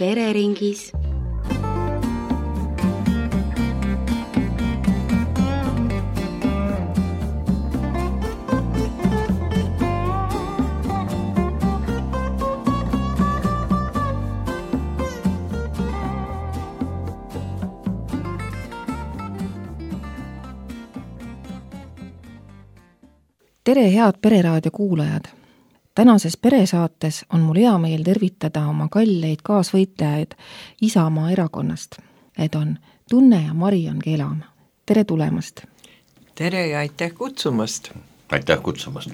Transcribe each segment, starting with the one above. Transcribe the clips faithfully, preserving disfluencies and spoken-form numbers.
pereringis. Tere, head Pereraadio kuulajad! Tänases peresaates on mul hea meel tervitada oma kalleid kaasvõitlejaid Isamaa erakonnast. Need on Tunne ja Marion Kelam. Tere tulemast! Tere ja aitäh kutsumast! Aitäh kutsumast!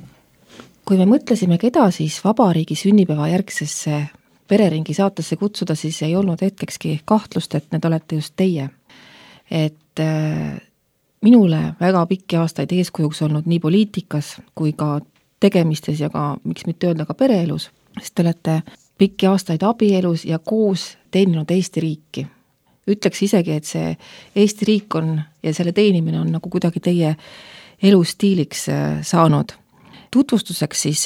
Kui me mõtlesime, keda siis vabariigi sünnipäeva järgsesse pereringi saatesse kutsuda, siis ei olnud hetkekski kahtlust, et need olete just teie. Et äh, minule väga pikki aastaid eeskujuks olnud nii poliitikas kui ka tegemistes ja ka, miks mitte öelda, ka pereelus, sest te olete pikki aastaid abielus ja koos teeninud Eesti riiki. Ütleks isegi, et see Eesti riik on ja selle teenimine on nagu kuidagi teie elustiiliks saanud. Tutvustuseks siis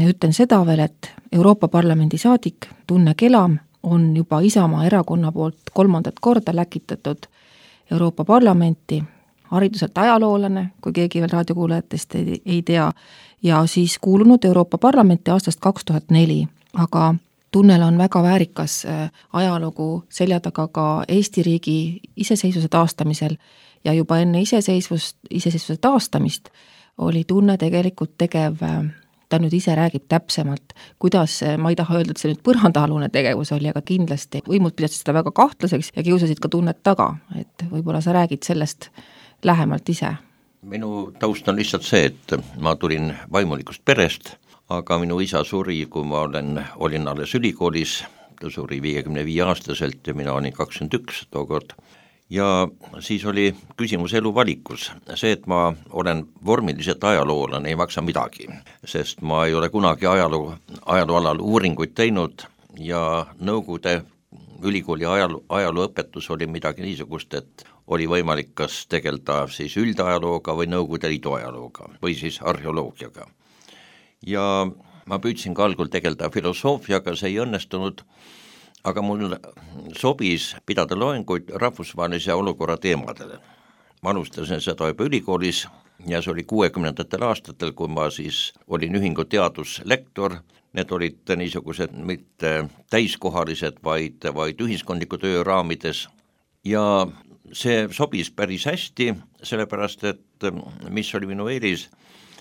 ütlen seda veel, et Euroopa Parlamendi saadik Tunne Kelam on juba Isamaa erakonna poolt kolmandat korda läkitatud Euroopa Parlamenti, hariduselt ajaloolane, kui keegi veel raadiokuulajatest ei, ei tea, ja siis kuulunud Euroopa Parlamenti aastast kaks tuhat neli, aga Tunnel on väga väärikas ajalugu selja taga ka Eesti riigi iseseisvuse taastamisel ja juba enne iseseisvust, iseseisvuse taastamist oli Tunne tegelikult tegev, ta nüüd ise räägib täpsemalt, kuidas, ma ei taha öelda, et see nüüd põrandaalune tegevus oli, aga kindlasti võimud pidasid seda väga kahtlaseks ja kiusasid ka Tunnet taga, et võib-olla sa räägid sellest lähemalt ise. Minu taust on lihtsalt see, et ma tulin vaimulikust perest, aga minu isa suri, kui ma olen, olin alles ülikoolis, ta suri viiekümne viie aastaselt ja mina olin kakskümmend üks tookord. Ja siis oli küsimus elu valikus. See, et ma olen vormiliselt ajaloolane, ei maksa midagi, sest ma ei ole kunagi ajaloo, ajaloo alal uuringuid teinud ja Nõukogude ülikooli ajaloo, ajalooõpetus oli midagi niisugust, et oli võimalik kas tegelda siis üldajalooga või Nõukogude Liidu ajalooga või siis arheoloogiaga. Ja ma püüdsin ka algul tegelda filosoofiaga, see ei õnnestunud, aga mul sobis pidada loenguid rahvusvahelise olukorra teemadele. Ma alustasin seda juba ülikoolis ja see oli kuuekümnendatel aastatel, kui ma siis olin ühingu teaduslektor. Need olid niisugused mitte täiskohalised, vaid, vaid ühiskondliku töö raamides ja see sobis päris hästi, sellepärast, et mis oli minu eelis,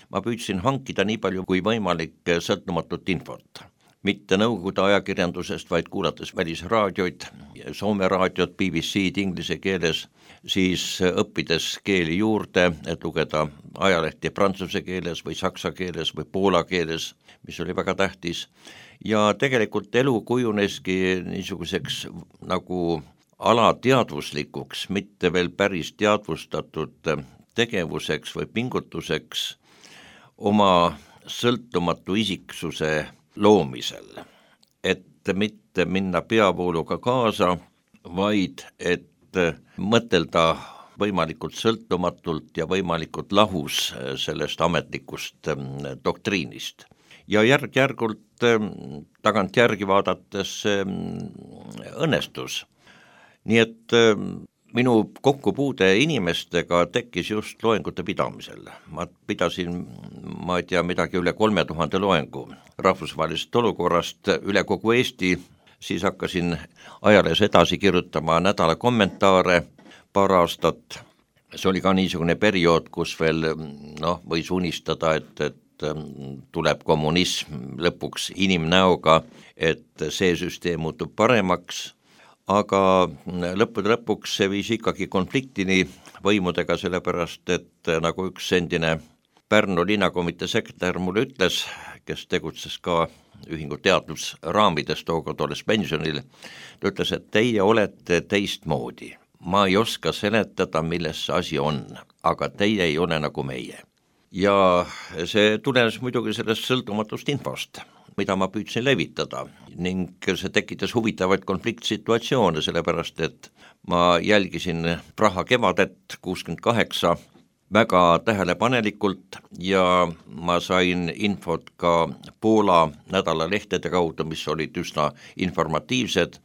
ma püüdsin hankida nii palju kui võimalik sõltumatut infot. Mitte Nõukogude ajakirjandusest, vaid kuulates välisraadioid, Soome raadiot, B B C-d inglise keeles, siis õppides keeli juurde, et lugeda ajalehti prantsuse keeles või saksa keeles või poola keeles, mis oli väga tähtis. Ja tegelikult elu kujuneski niisuguseks nagu alateadvuslikuks, mitte veel päris teadvustatud tegevuseks või pingutuseks oma sõltumatu isiksuse loomisel, et mitte minna peavooluga kaasa, vaid et mõtelda võimalikult sõltumatult ja võimalikult lahus sellest ametlikust doktriinist. Ja järg-järgult tagant järgi vaadates õnnestus. Nii et minu kokkupuude inimestega tekkis just loengute pidamisel. Ma pidasin, ma ei tea, midagi üle kolme tuhande loengu rahvusvahelisest olukorrast üle kogu Eesti, siis hakkasin ajalehes edasi kirjutama nädala kommentaare paar aastat. See oli ka niisugune periood, kus veel noh, võis unistada, et, et tuleb kommunism lõpuks inimnäoga, et see süsteem muutub paremaks, aga lõppude lõpuks see viis ikkagi konfliktini võimudega, sellepärast, et nagu üks endine Pärnu linnakomitee sekretär mulle ütles, kes tegutses ka ühingu teadusraamides tookord olles pensionil, ta ütles, et teie olete teistmoodi. Ma ei oska seletada, milles see asi on, aga teie ei ole nagu meie. Ja see tulenes muidugi sellest sõltumatust infost, mida ma püüdsin levitada ning see tekitas huvitavaid konfliktsituatsioone, sellepärast et ma jälgisin Praha kevadet kuuskümmend kaheksa väga tähelepanelikult ja ma sain infot ka Poola nädalalehtede kaudu, mis olid üsna informatiivsed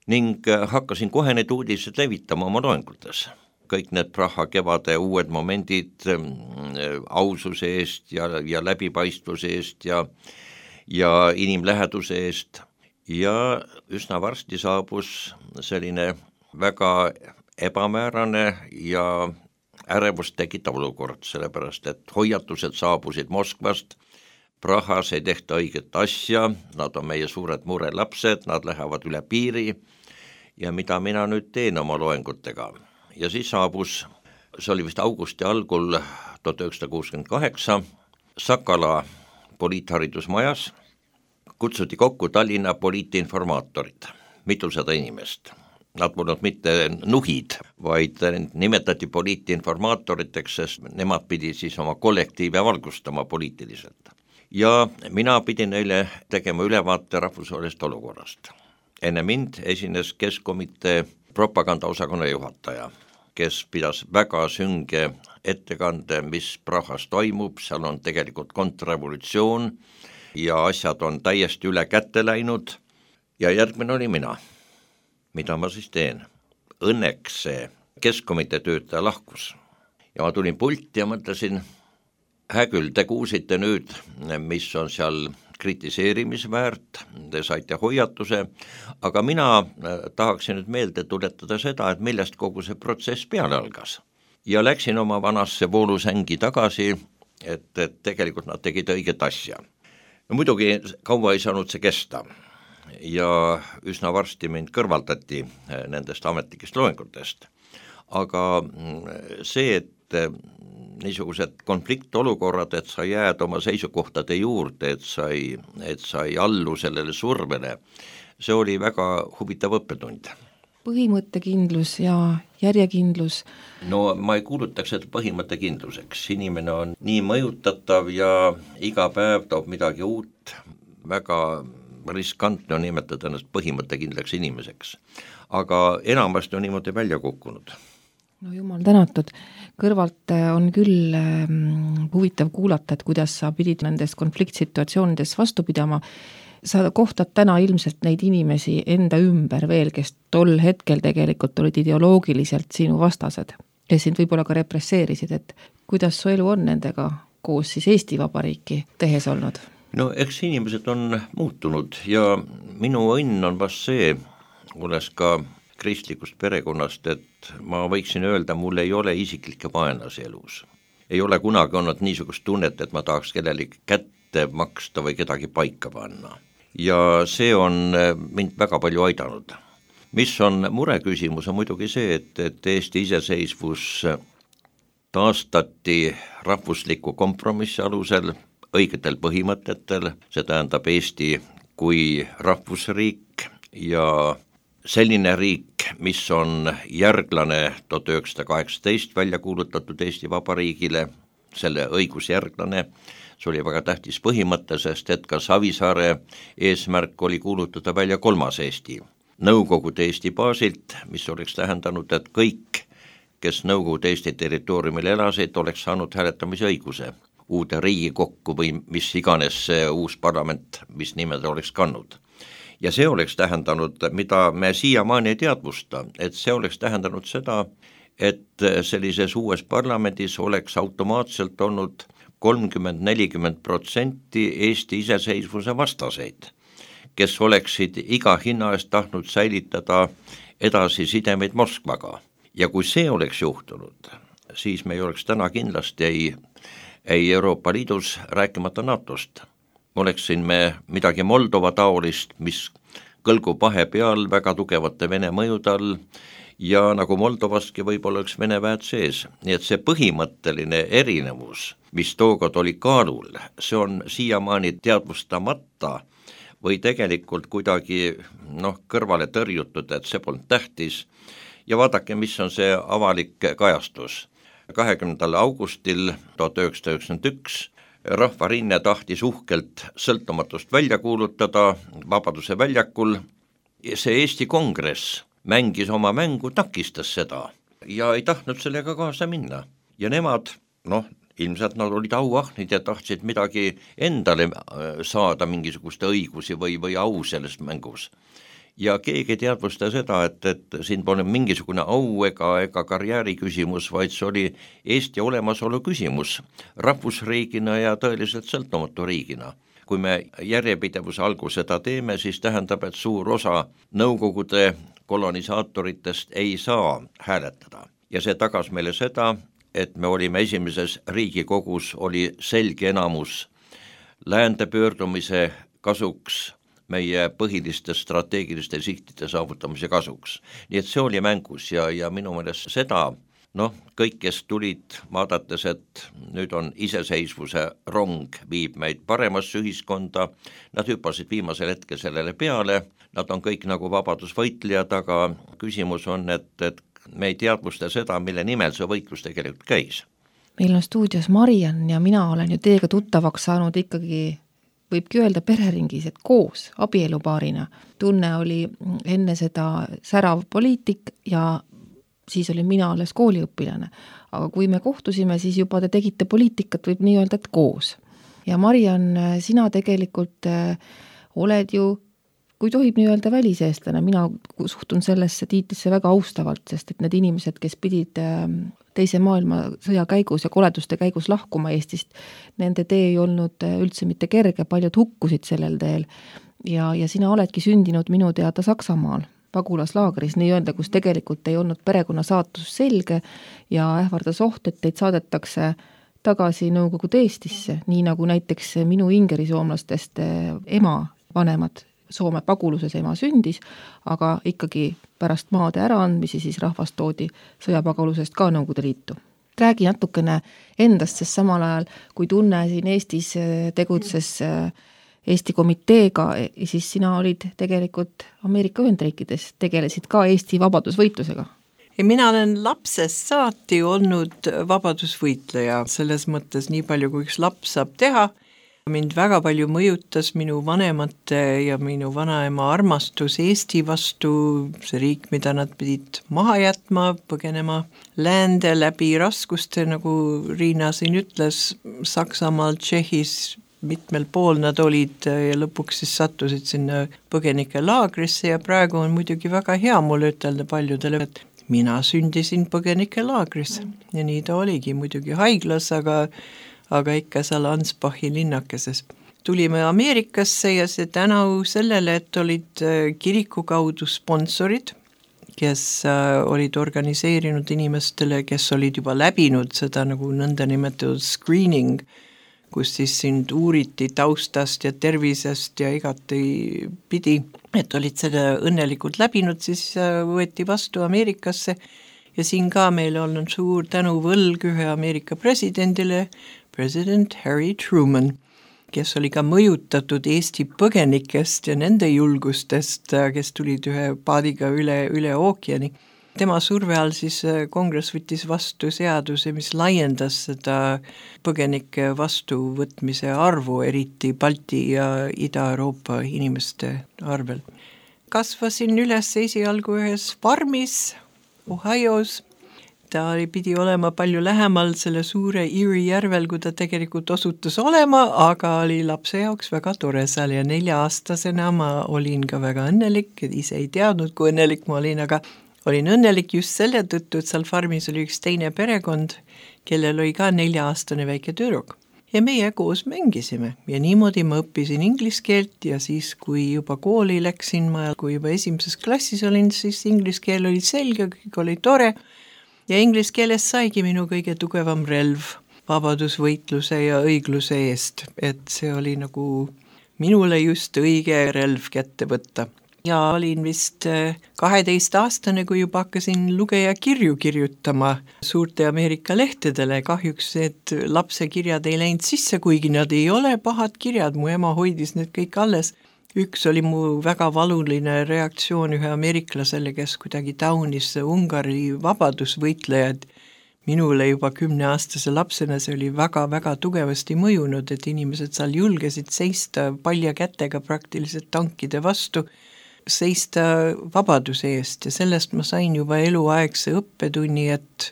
ning hakkasin kohe need uudised levitama oma loengutes. Kõik need Praha kevade uued momendid aususe eest ja, ja läbipaistvuse eest ja, ja inimläheduse eest ja üsna varsti saabus selline väga ebamäärane ja ärevust tekitav olukord, sellepärast et hoiatused saabusid Moskvast, Prahas ei tehta õiget asja, nad on meie suured murelapsed, nad lähevad üle piiri ja mida mina nüüd teen oma loengutega. Ja siis saabus, see oli vist augusti algul tuhat üheksasada kuuskümmend kaheksa, Sakala poliitharidusmajas kutsuti kokku Tallinna poliitinformaatorid, mitusada inimest. Nad polnud mitte nuhid, vaid nimetati poliitinformaatoriteks, sest nemad pidi siis oma kollektiive valgustama poliitiliselt. Ja mina pidin neile tegema ülevaate rahvusvahelisest olukorrast. Enne mind esines Keskkomitee propagandaosakonna juhataja, kes pidas väga sünge ettekande, mis Prahas toimub, seal on tegelikult kontrrevolutsioon ja asjad on täiesti üle kätte läinud ja järgmine oli mina. Mida ma siis teen? Õnneks see Keskkomitee töötaja lahkus ja ma tulin pulti ja mõtlesin, hää küll, te kuulsite nüüd, mis on seal kritiseerimisväärt, te saite hoiatuse, aga mina tahaksin nüüd meelde tuletada seda, et millest kogu see protsess peale algas. Ja läksin oma vanasse voolusängi tagasi, et, et tegelikult nad tegid õiget asja. No muidugi kaua ei saanud see kesta ja üsna varsti mind kõrvaldati nendest ametlikest loengutest. Aga see, et niisugused konfliktolukorrad, et sa jääd oma seisukohtade juurde, et sa ei, et sa ei allu sellele survele, see oli väga huvitav õppetund. Põhimõttekindlus ja järjekindlus. No ma ei kuulutaks seda põhimõttekindluseks, inimene on nii mõjutatav ja iga päev toob midagi uut, väga riskantne on nimetada ennast põhimõttekindlaks inimeseks, aga enamasti on niimoodi välja kukkunud. No jumal tänatud, kõrvalt on küll ähm, huvitav kuulata, et kuidas sa pidid nendes konfliktsituatsioonides vastu pidama. Sa kohtad täna ilmselt neid inimesi enda ümber veel, kes tol hetkel tegelikult olid ideoloogiliselt sinu vastased, kes sind võib-olla ka represseerisid, et kuidas su elu on nendega koos siis Eesti Vabariiki tehes olnud? No eks inimesed on muutunud ja minu õnn on vast see, olles ka kristlikust perekonnast, et ma võiksin öelda, mul ei ole isiklikke vaenlasi elus. Ei ole kunagi olnud niisugust tunnet, et ma tahaks kellelegi kätte maksta või kedagi paika panna. Ja see on mind väga palju aidanud. Mis on mureküsimus, on muidugi see, et, et Eesti iseseisvus taastati rahvusliku kompromissi alusel, õigetel põhimõtetel, see tähendab Eesti kui rahvusriik ja selline riik, mis on järglane tuhat üheksasada kaheksateist välja kuulutatud Eesti Vabariigile, selle õigusjärglane, see oli väga tähtis põhimõte, sest et ka Savisaare eesmärk oli kuulutada välja kolmas Eesti, Nõukogude Eesti baasilt, mis oleks tähendanud, et kõik, kes Nõukogude Eesti territooriumil elasid, oleks saanud hääletamise õiguse uude Riigikokku või mis iganes see uus parlament, mis nimed oleks kannud. Ja see oleks tähendanud, mida me siiamaani ei teadvusta, et see oleks tähendanud seda, et sellises uues parlamendis oleks automaatselt olnud kolmkümmend nelikümmend protsenti Eesti iseseisvuse vastaseid, kes oleksid iga hinna eest tahtnud säilitada edasi sidemeid Moskvaga. Ja kui see oleks juhtunud, siis me ei oleks täna kindlasti ei, ei Euroopa Liidus, rääkimata NATOst. Oleksin me midagi Moldova taolist, mis kõlgub vahepeal väga tugevate Vene mõjude all ja nagu Moldovaski võib-olla üks Vene väed sees. Nii et see põhimõtteline erinevus, mis tookord oli kaalul, see on siiamaani teadvustamata või tegelikult kuidagi noh, kõrvale tõrjutud, et see polnud tähtis. Ja vaadake, mis on see avalik kajastus. kahekümnendal augustil tuhat üheksasada üheksakümmend üks Rahvarinne tahtis uhkelt sõltumatust välja kuulutada Vabaduse väljakul. See Eesti Kongress mängis oma mängu, takistas seda ja ei tahtnud sellega kaasa minna. Ja nemad, noh, ilmselt nad olid auahnid ja tahtsid midagi endale saada, mingisuguste õigusi või, või au selles mängus. ja keegi ei teadvusta seda, et, et siin pole mingisugune au ega, ega karjääri küsimus, vaid see oli Eesti olemasolu küsimus rahvusriigina ja tõeliselt sõltumatu riigina. Kui me järjepidevuse algu seda teeme, siis tähendab, et suur osa Nõukogude kolonisaatoritest ei saa hääletada. Ja see tagas meile seda, et me olime esimeses Riigikogus, oli selge enamus läände pöördumise kasuks, meie põhiliste strateegiliste sihtide saavutamise kasuks. Nii et see oli mängus ja, ja minu meelest seda, noh, kõik, kes tulid vaadates, et nüüd on iseseisvuse rong, viib meid paremasse ühiskonda, nad hüppasid viimasel hetkel sellele peale, nad on kõik nagu vabadusvõitlejad, aga küsimus on, et, et me ei teadvusta seda, mille nimel see võitlus tegelikult käis. Meil on stuudios Mariann ja mina olen ju teiega tuttavaks saanud ikkagi, võibki öelda pereringis, et koos abielupaarina. Tunne oli enne seda särav poliitik ja siis olin mina alles kooliõpilane. Aga kui me kohtusime, siis juba te tegite poliitikat, võib nii öelda, et koos. Ja Mariann, sina tegelikult oled ju, kui tohib nii öelda, väliseestlane, mina suhtun sellesse tiitlisse väga austavalt, sest et need inimesed, kes pidid teise maailmasõja käigus ja koleduste käigus lahkuma Eestist, nende tee ei olnud üldse mitte kerge, paljud hukkusid sellel teel ja, ja sina oledki sündinud minu teada Saksamaal, pagulaslaagris, nii öelda, kus tegelikult ei olnud perekonna saatus selge ja ähvardas oht, et teid saadetakse tagasi Nõukogude Eestisse, nii nagu näiteks minu ingerisoomlastest ema vanemad Soome paguluses ema sündis, aga ikkagi pärast maade äraandmisi siis rahvast toodi sõjapagalusest ka Nõukogude Liitu. Räägi natukene endast, sest samal ajal, kui Tunne siin Eestis tegutses Eesti komiteega, siis sina olid tegelikult Ameerika Ühendriikides, tegelesid ka Eesti vabadusvõitlusega. Ja mina olen lapsest saati olnud vabadusvõitleja, selles mõttes nii palju, kui üks laps saab teha. Mind väga palju mõjutas minu vanemate ja minu vanaema armastus Eesti vastu, see riik, mida nad pidid maha jätma, põgenema läände läbi raskuste, nagu Riina siin ütles, Saksamaal, Tšehhis, mitmel pool nad olid ja lõpuks siis sattusid sinna põgenike laagrisse ja praegu on muidugi väga hea mulle ütelda paljudele, et mina sündisin põgenike laagris ja nii ta oligi muidugi haiglas, aga aga ikka seal Ansbachi linnakeses. Tulime Ameerikasse ja see tänu sellele, et olid kiriku kaudu sponsorid, kes olid organiseerinud inimestele, kes olid juba läbinud seda nagu nõnda nimetatud screening, kus siis sind uuriti taustast ja tervisest ja igati pidi, et olid seda õnnelikult läbinud, siis võeti vastu Ameerikasse ja siin ka meil on suur tänu võlg ühe Ameerika presidendile, president Harry Truman, kes oli ka mõjutatud Eesti põgenikest ja nende julgustest, kes tulid ühe paadiga üle, üle ookeani. Tema surve all siis kongress võttis vastu seaduse, mis laiendas seda põgenike vastuvõtmise arvu, eriti Balti ja Ida-Euroopa inimeste arvel. Kasvasin üles esialgu ühes farmis Ohios. Ta pidi olema palju lähemal selle suure Erie järvel, kui ta tegelikult osutus olema, aga oli lapse jaoks väga tore seal ja nelja-aastasena ma olin ka väga õnnelik, ise ei teadnud, kui õnnelik ma olin, aga olin õnnelik just selle tõttu, et seal farmis oli üks teine perekond, kellel oli ka nelja-aastane väike tüdruk. Ja meie koos mängisime ja niimoodi ma õppisin inglise keelt ja siis, kui juba kooli läksin ma, kui juba esimeses klassis olin, siis inglise keel oli selge, kõik oli tore. Ja inglise keeles saigi minu kõige tugevam relv vabadusvõitluse ja õigluse eest, et see oli nagu minule just õige relv kätte võtta. Ja olin vist kaheteist aastane, kui juba hakkasin lugeja kirju kirjutama suurte Ameerika lehtedele. Kahjuks need lapse kirjad ei läinud sisse, kuigi nad ei ole pahad kirjad, mu ema hoidis need kõik alles. Üks oli mu väga valuline reaktsioon ühe ameeriklasele, kes kuidagi taunis Ungari vabadusvõitlejad. Minule juba kümneaastase lapsena see oli väga-väga tugevasti mõjunud, et inimesed seal julgesid seista palja kätega praktiliselt tankide vastu, seista vabaduse eest ja sellest ma sain juba eluaegse õppetunni, et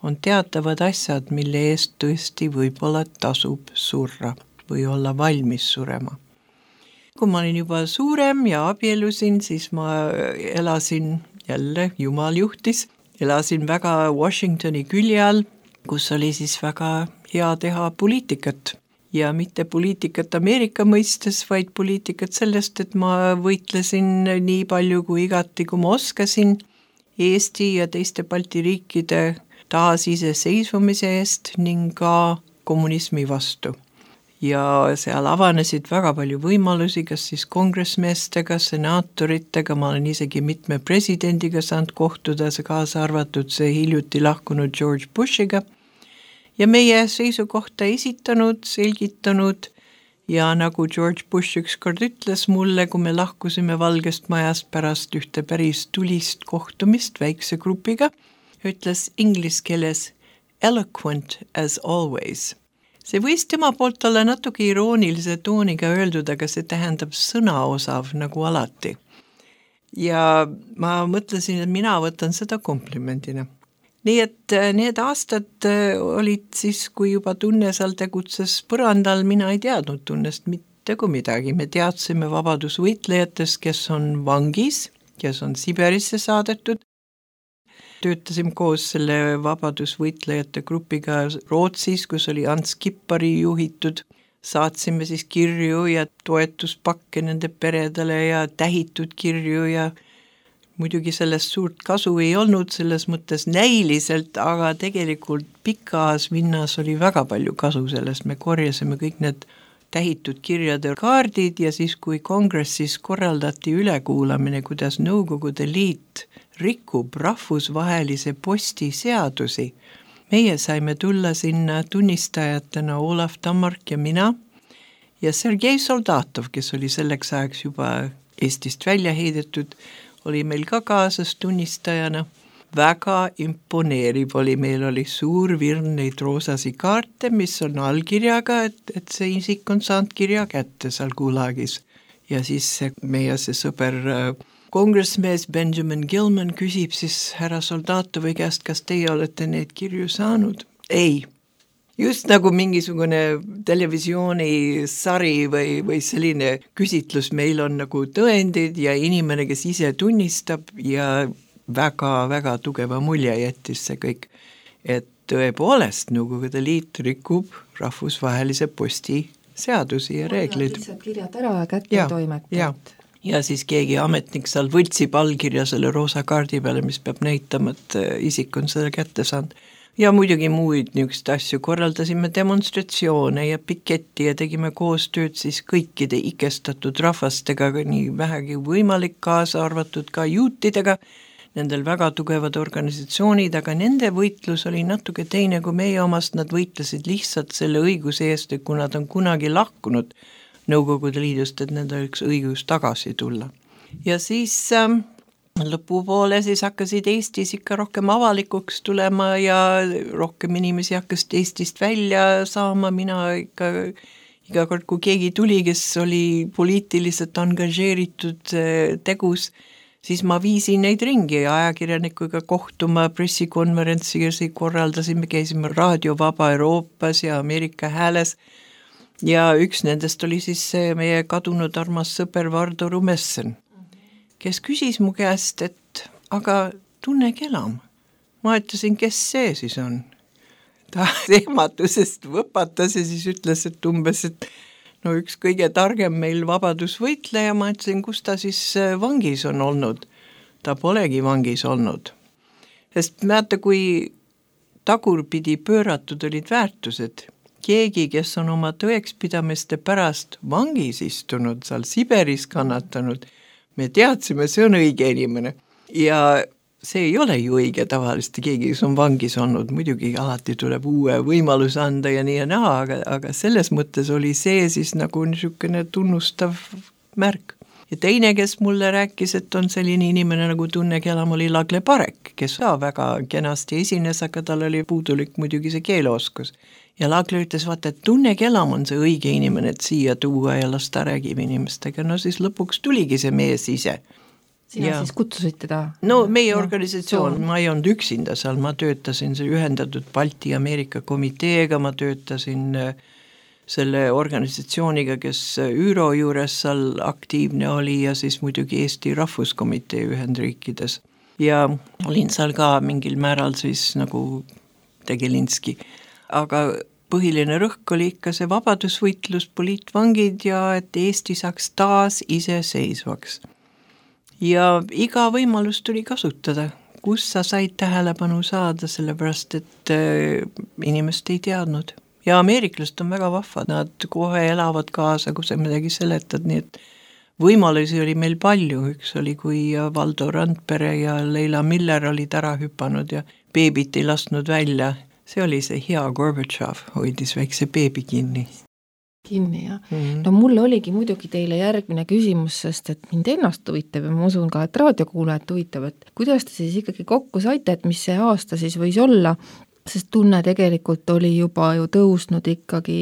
on teatavad asjad, mille eest tõesti võib-olla tasub surra või olla valmis surema. kui ma olin juba suurem ja abielusin, siis ma elasin jälle, jumal juhtis, elasin väga Washingtoni külje all, kus oli siis väga hea teha poliitikat. Ja mitte poliitikat Ameerika mõistes, vaid poliitikat sellest, et ma võitlesin nii palju kui igati, kui ma oskasin Eesti ja teiste Balti riikide taas iseseisvumise eest ning ka kommunismi vastu. Ja seal avanesid väga palju võimalusi, kas siis kongressmeestega, senaatoritega, ma olen isegi mitme presidendiga saanud kohtuda, see kaasa arvatud see hiljuti lahkunud George Bushiga, ja meie seisukohta esitanud, selgitanud ja nagu George Bush ükskord ütles mulle, kui me lahkusime Valgest Majast pärast ühte päris tulist kohtumist väikse grupiga, ütles inglise keeles eloquent as always. See võis tema poolt olla natuke iroonilise tooniga öeldud, aga see tähendab sõnaosav nagu alati. Ja ma mõtlesin, et mina võtan seda komplimendina. Nii et need aastad olid siis, kui juba tunne seal tegutses põrandal, mina ei teadnud tunnest mitte kui midagi. Me teadsime vabadusvõitlejatest, kes on vangis, kes on Siberisse saadetud. Töötasime koos selle vabadusvõitlejate grupiga Rootsis, kus oli Ants Kippari juhitud. Saatsime siis kirju ja toetuspakke nende peredele ja tähitud kirju ja muidugi sellest suurt kasu ei olnud, selles mõttes näiliselt, aga tegelikult pikas vinnas oli väga palju kasu sellest. Me korjasime kõik need tähitud kirjade kaardid ja siis, kui kongressis korraldati ülekuulamine, kuidas Nõukogude Liit rikub rahvusvahelise posti seadusi. Meie saime tulla sinna tunnistajatena Olav Tammark ja mina ja Sergei Soldatov, kes oli selleks ajaks juba Eestist välja heidetud, oli meil ka kaasas tunnistajana. Väga imponeeriv oli, meil oli suur virn neid roosasi kaarte, mis on allkirjaga, et, et see isik on saanud kirja kätte seal Gulagis. Ja siis see, meie see sõber kongressmees Benjamin Gilman küsib siis härra Soldatovi käest, kas teie olete neid kirju saanud? Ei. Just nagu mingisugune televisioonisari või, või selline küsitlus, meil on nagu tõendid ja inimene, kes ise tunnistab ja väga-väga tugeva mulje jättis see kõik, et tõepoolest Nõukogude Liit rikub rahvusvahelise posti seadusi ja reeglid. Lihtsalt kirjad ära ja kätte toimetad. Ja. ja siis keegi ametnik seal võtsib allkirja selle roosa kaardi peale, mis peab näitama, et isik on selle kätte saanud. Ja muidugi muid niisugust asju korraldasime demonstratsioone ja piketti ja tegime koostööd siis kõikide ikestatud rahvastega, nii vähegi võimalik, kaasa arvatud ka juutidega, nendel väga tugevad organisatsioonid, aga nende võitlus oli natuke teine kui meie omast, nad võitlesid lihtsalt selle õiguse eest, et kui nad on kunagi lahkunud Nõukogude Liidust, et nendel üks õigus tagasi tulla. Ja siis ähm, lõpupoole siis hakkasid Eestis ikka rohkem avalikuks tulema ja rohkem inimesi hakkas Eestist välja saama, mina ikka iga kord, kui keegi tuli, kes oli poliitiliselt angažeeritud tegus, siis ma viisin neid ringi ja ajakirjanikuga kohtuma, pressikonverentsiga korraldasime, käisime Raadio Vaba Euroopas ja Ameerika Hääles ja üks nendest oli siis meie kadunud armas sõber Vardo Rumessen, kes küsis mu käest, et aga Tunne Kelam. Ma ütlesin, kes see siis on? Ta ehmatusest võpatas ja siis ütles, et umbes, et no üks kõige targem meil vabadusvõitleja, ma ütlesin, kus ta siis vangis on olnud. Ta polegi vangis olnud. Sest määrata, kui tagurpidi pööratud olid väärtused, keegi, kes on oma tõekspidamiste pärast vangis istunud, seal Siberis kannatanud, me teadsime, see on õige inimene ja see ei ole ju õige tavaliselt, keegi, kes on vangis olnud, muidugi alati tuleb uue võimaluse anda ja nii ja naa, aga, aga selles mõttes oli see siis nagu niisugune tunnustav märk. Ja teine, kes mulle rääkis, et on selline inimene nagu Tunne Kelam, oli Lagle Parek, kes ka väga kenasti esines, aga tal oli puudulik muidugi see keeleoskus. Ja Lagle ütles, vaata, et Tunne Kelam on see õige inimene, et siia tuua ja lasta räägib inimestega. No siis lõpuks tuligi see mees ise. Sina ja. Siis kutsusid teda? No meie ja. Organisatsioon, ma ei olnud üksinda seal, ma töötasin see ühendatud Balti Ameerika komiteega, ma töötasin selle organisatsiooniga, kes ÜRO juures seal aktiivne oli ja siis muidugi Eesti Rahvuskomitee Ühendriikides. Ja olin seal ka mingil määral siis nagu Tegelinski. Aga põhiline rõhk oli ikka see vabadusvõitlus, poliitvangid ja et Eesti saaks taas iseseisvaks. Ja iga võimalus tuli kasutada, kus sa said tähelepanu saada, sellepärast et inimest ei teadnud. Ja ameeriklased on väga vahvad, nad kohe elavad kaasa, kui sa midagi seletad, nii et võimalusi oli meil palju, üks oli, kui Valdo Randpere ja Leila Miller olid ära hüpanud ja beebit ei lasknud välja. See oli see hea Gorbatšov, hoidis väikse beebi kinni. Kinni, jah. Mm-hmm. No mulle oligi muidugi teile järgmine küsimus, sest et mind ennast huvitab ja ma usun ka, et raadiokuulajat huvitab, et kuidas te siis ikkagi kokku saite, et mis see aasta siis võis olla, sest tunne tegelikult oli juba ju tõusnud ikkagi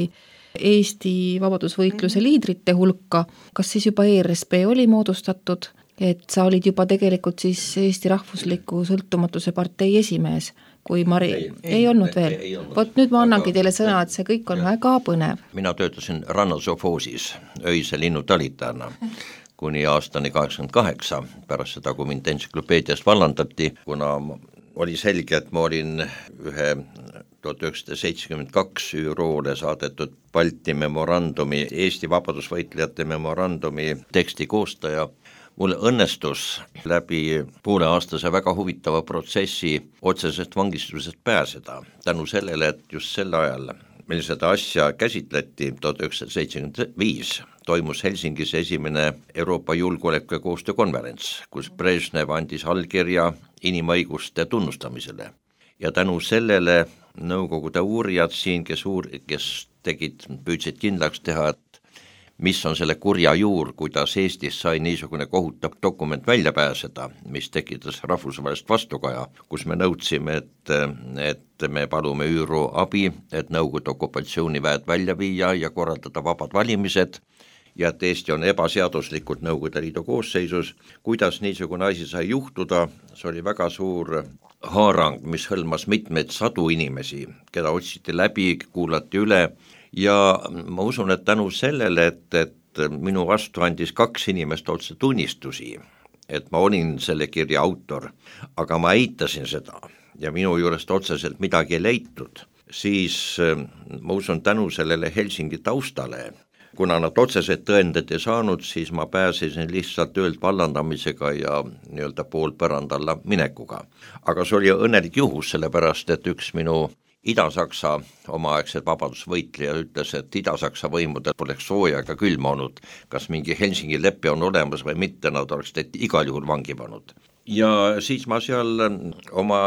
Eesti vabadusvõitluse liidrite hulka. Kas siis juba E R S P oli moodustatud, et sa olid juba tegelikult siis Eesti Rahvusliku Sõltumatuse partei esimees, kui Mari ei, ei, ei olnud veel. Vot nüüd ma annangi teile sõna, et see kõik on ja. väga põnev. Mina töötasin rannasofoosis öise linnutalitajana kuni aastani kaheksakümmend kaheksa, pärast seda, kui mind entsüklopeediast vallandati, kuna oli selge, et ma olin ühe tuhat üheksasada seitsekümmend kaks ÜRO-le saadetud Balti memorandumi, Eesti vabadusvõitlejate memorandumi teksti koostaja. Mul õnnestus läbi pooleaastase väga huvitava protsessi otsesest vangistusest pääseda, tänu sellele, et just sel ajal, meil seda asja käsitleti tuhat üheksasada seitsekümmend viis, toimus Helsingis esimene Euroopa julgeoleku ja koostöö konverents, kus Brežnev andis allkirja inimõiguste tunnustamisele. Ja tänu sellele nõukogude uurijad siin, kes, uur, kes tegid, püüdsid kindlaks teha, et mis on selle kurja juur, kuidas Eestis sai niisugune kohutav dokument välja pääseda, mis tekitas rahvusvahelist vastukaja, kus me nõudsime, et, et me palume ÜRO abi, et Nõukogude okupatsiooniväed välja viia ja korraldada vabad valimised, ja et Eesti on ebaseaduslikult Nõukogude Liidu koosseisus. Kuidas niisugune asi sai juhtuda, see oli väga suur haarang, mis hõlmas mitmeid sadu inimesi, keda otsiti läbi, kuulati üle. Ja ma usun, et tänu sellele, et, et minu vastu andis kaks inimest otse tunnistusi, et ma olin selle kirja autor, aga ma eitasin seda ja minu juurest otseselt midagi ei leitud, siis ma usun tänu sellele Helsingi taustale, kuna nad otseselt tõendid ei saanud, siis ma pääsesin lihtsalt töölt vallandamisega ja nii-öelda poolpärand alla minekuga. Aga see oli õnnelik juhus, sellepärast, et üks minu Ida-Saksa omaaegsed vabadusvõitleja ütles, et Ida-Saksa võimudel poleks sooja ega külma olnud, kas mingi Helsingi leppe on olemas või mitte, nad oleks teinud igal juhul vangi pannud. Ja siis ma seal oma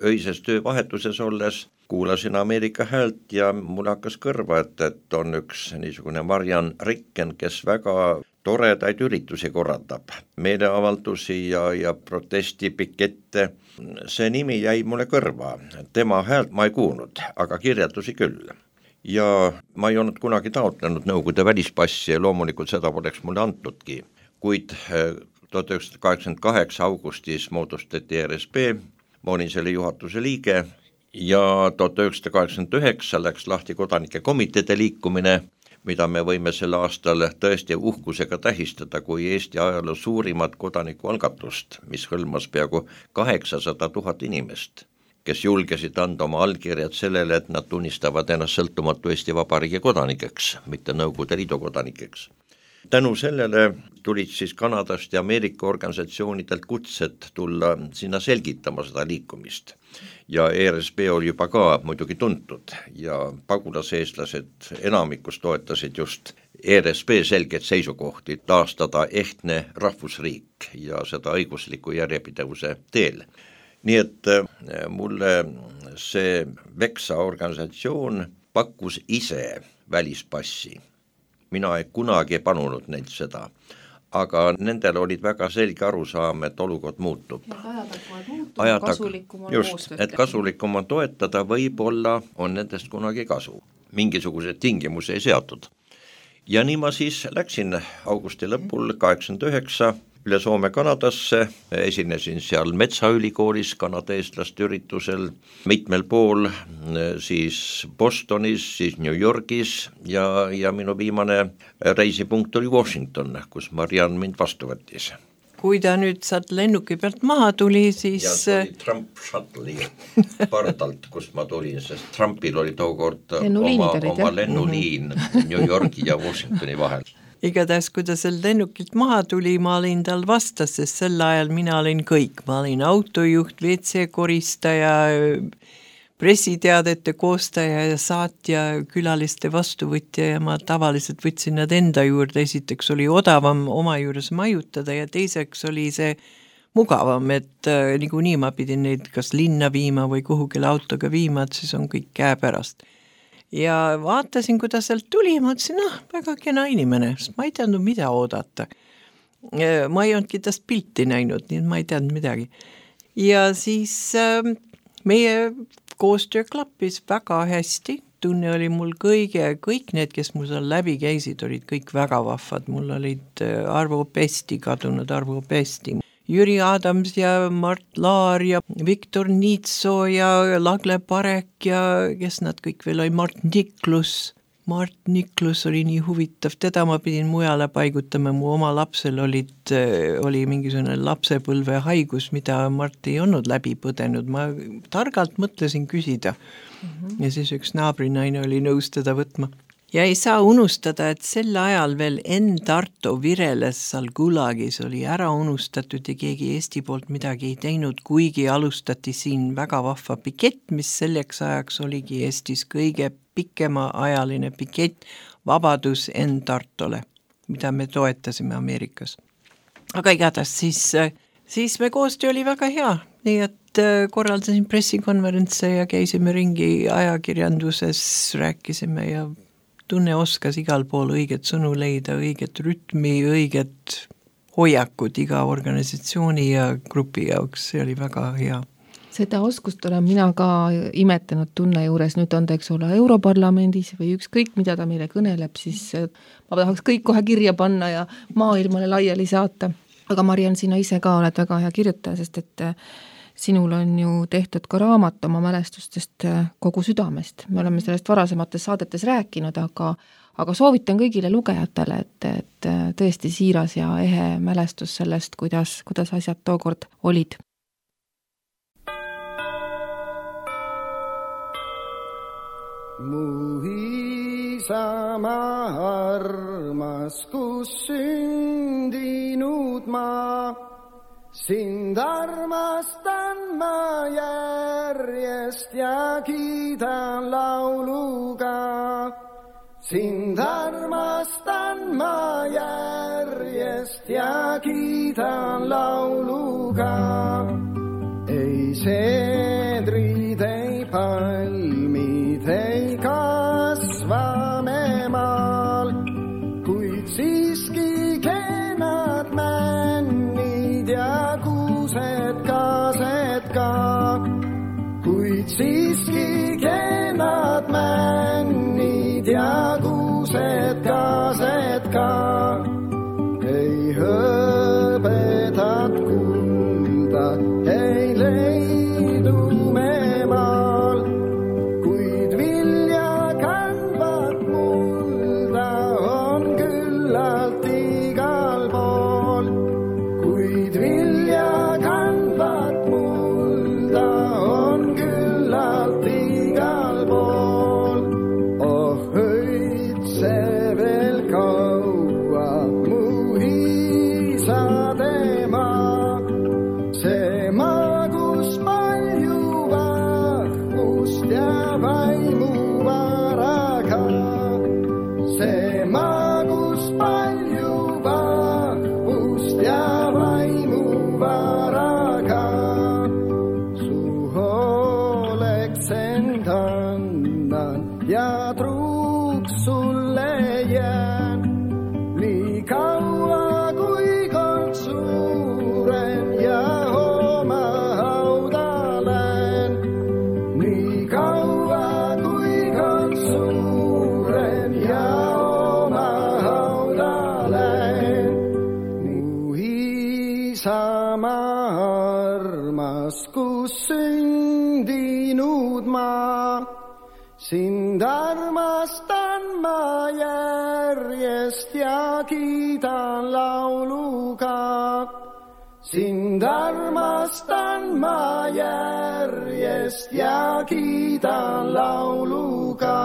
öises töövahetuses olles kuulasin Ameerika häält ja mul hakkas kõrva, et, et on üks niisugune Marian Ricken, kes väga toredaid üritusi korraldab, meeleavaldusi ja, ja protestipikette. See nimi jäi mulle kõrva, tema häält ma ei kuulnud, aga kirjeldusi küll. Ja ma ei olnud kunagi taotlenud Nõukogude välispassi ja loomulikult seda poleks mulle antudki, kuid tuhat üheksasada kaheksakümmend kaheksa augustis moodustati E R S P, ma olin selle juhatuse liige ja tuhat üheksasada kaheksakümmend üheksa läks lahti kodanike komiteede liikumine, mida me võime selle aastal tõesti uhkusega tähistada kui Eesti ajaloo suurimat kodanikualgatust, mis hõlmas peaaegu kaheksasada tuhat inimest, kes julgesid anda oma allkirjad sellele, et nad tunnistavad ennast sõltumatu Eesti Vabariigi kodanikeks, mitte Nõukogude Liidu kodanikeks. Tänu sellele tulid siis Kanadast ja Ameerika organisatsioonidelt kutsed tulla sinna selgitama seda liikumist. Ja E R S P oli juba ka muidugi tuntud ja pagulaseestlased enamikus toetasid just E R S P selget seisukohti taastada ehtne rahvusriik ja seda õigusliku järjepidevuse teel. Nii et mulle see Veksa organisatsioon pakkus ise välispassi. Mina ei kunagi panunud neilt seda, aga nendel olid väga selge arusaam, et olukord muutub. Ajad kasulikum on just, et kasulikum on toetada, võib-olla on nendest kunagi kasu. Mingisugused tingimusi ei seatud. Ja nii ma siis läksin augusti lõpul kaheksakümmend üheksa üle Soome Kanadasse, esinesin seal Metsaülikoolis kanada-eestlaste üritusel, mitmel pool, siis Bostonis, siis New Yorgis ja, ja minu viimane reisipunkt oli Washington, kus Mariann mind vastu võttis. Kui ta nüüd saad lennuki pealt maha tuli, siis... Ja see oli Trump Shuttle'i pardalt, kust ma tulin, sest Trumpil oli tookord oma, oma lennuliin New Yorgi ja Washingtoni vahel. Igatahes, kui ta sel lennukilt maha tuli, ma olin tal vastas, sest sel ajal mina olin kõik. Ma olin autojuht, V C koristaja, pressiteadete koostaja ja saatja, külaliste vastuvõtja ja ma tavaliselt võtsin nad enda juurde. Esiteks oli odavam oma juures majutada ja teiseks oli see mugavam, et äh, nagu nii ma pidin neid kas linna viima või kuhugile autoga viima, et siis on kõik käe pärast. Ja vaatasin, kui ta sealt tuli, ma ütlesin, noh, väga kena inimene, sest ma ei teadnud, mida oodata. Ma ei olnudki tast pilti näinud, nii et ma ei teadnud midagi. Ja siis äh, meie koostöö klappis väga hästi, tunne oli mul kõige, kõik need, kes mul seal läbi käisid, olid kõik väga vahvad, mul olid Arvo Pesti, kadunud Arvo Pesti, Jüri Adams ja Mart Laar ja Viktor Niitso ja Lagle Parek ja kes nad kõik veel oli, Mart Niklus. Mart Niklus oli nii huvitav, teda ma pidin mujale paigutama, mu oma lapsel olid, oli mingisugune lapsepõlve haigus, mida Mart ei olnud läbi põdenud, ma targalt mõtlesin küsida mm-hmm. ja siis üks naabrinaine oli nõus teda võtma. Ja ei saa unustada, et sel ajal veel Enn Tarto vireles seal Gulagis oli ära unustatud ja keegi Eesti poolt midagi ei teinud, kuigi alustati siin väga vahva pikett, mis selleks ajaks oligi Eestis kõige pikema ajaline pikett Vabadus Enn Tartole, mida me toetasime Ameerikas. Aga igatahes siis, siis me koostöö oli väga hea, nii et korraldasin pressikonverentse ja käisime ringi ajakirjanduses, rääkisime ja tunne oskas igal pool õiget sõnu leida, õiget rütmi, õiget hoiakut iga organisatsiooni ja grupi jaoks, see oli väga hea. Seda oskust olen mina ka imetanud tunne juures, nüüd on ta, eks ole, Europarlamendis või ükskõik, mida ta meile kõneleb, siis ma tahaks kõik kohe kirja panna ja maailmale laiali saata. Aga Mariann, sina ise ka oled väga hea kirjutaja, sest et sinul on ju tehtud ka raamat oma mälestustest kogu südamest. Me oleme sellest varasemates saadetes rääkinud, aga, aga soovitan kõigile lugejatele, et, et tõesti siiras ja ehe mälestus sellest, kuidas, kuidas asjad tookord olid. Mu isamaa armas, kus sündinud ma, sind armastan ma järjest ja kiidan lauluga. Sind armastan ma järjest ja kiidan lauluga. Ei seedrid, ei palmid, ei kasva me maal, kuid siiski kenad männid ja kuused kaased ka. Kuid siiski kenad männid ja kuused kaased ka. Ei hõbedat kulda, ei leidu me maal, kuid vilja kandvat mulda on küllalt igal pool. Kuid vilja kandvat mulda on küllalt igal pool. Oh, õitse veel kaua mu isade maa, see maa, kus palju vahvust ja vaimu varaga. See maa, kus palju vahvust ja vaimu varaga. Su hooleks end annan ja truuks sulle jään, nii kaua kui kord suuren ja oma hauda lähen. Nii kaua kui kord suuren ja oma hauda lähen. Mu Sind armastan ma järjest ja kiidan lauluga. Sind armastan ma järjest ja kiidan lauluga.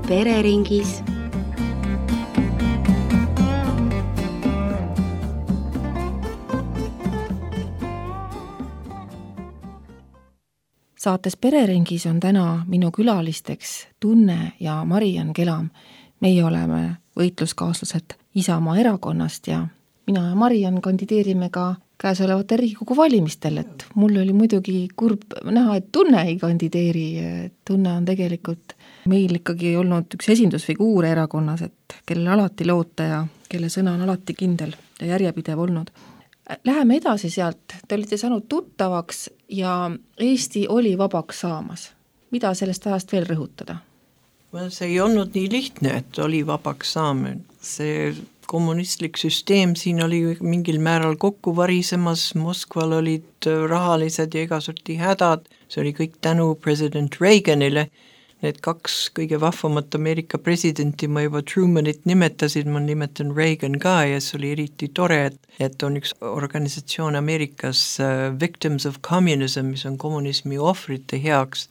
Pereringis. Saates Pereringis on täna minu külalisteks Tunne ja Mariann Kelam. Meie oleme võitluskaaslased Isamaa erakonnast ja mina ja Mariann kandideerime ka käesolevate Riigikogu valimistel, et mul oli muidugi kurb näha, et Tunne ei kandideeri. Tunne on tegelikult meil ikkagi olnud üks esindusfiguur erakonnas, et kellele alati loota ja kelle sõna on alati kindel ja järjepidev olnud. Läheme edasi sealt, te olite saanud tuttavaks ja Eesti oli vabaks saamas. Mida sellest ajast veel rõhutada? See ei olnud nii lihtne, et oli vabaks saamine. See kommunistlik süsteem siin oli mingil määral kokku varisemas, Moskval olid rahalised ja igasorti hädad, see oli kõik tänu president Reaganile. Need kaks kõige vahvamat Ameerika presidenti ma juba Trumanit nimetasid, ma nimetan Reagan ka ja see oli eriti tore, et, et on üks organisatsioon Ameerikas uh, Victims of Communism, mis on kommunismi ohvrite heaks,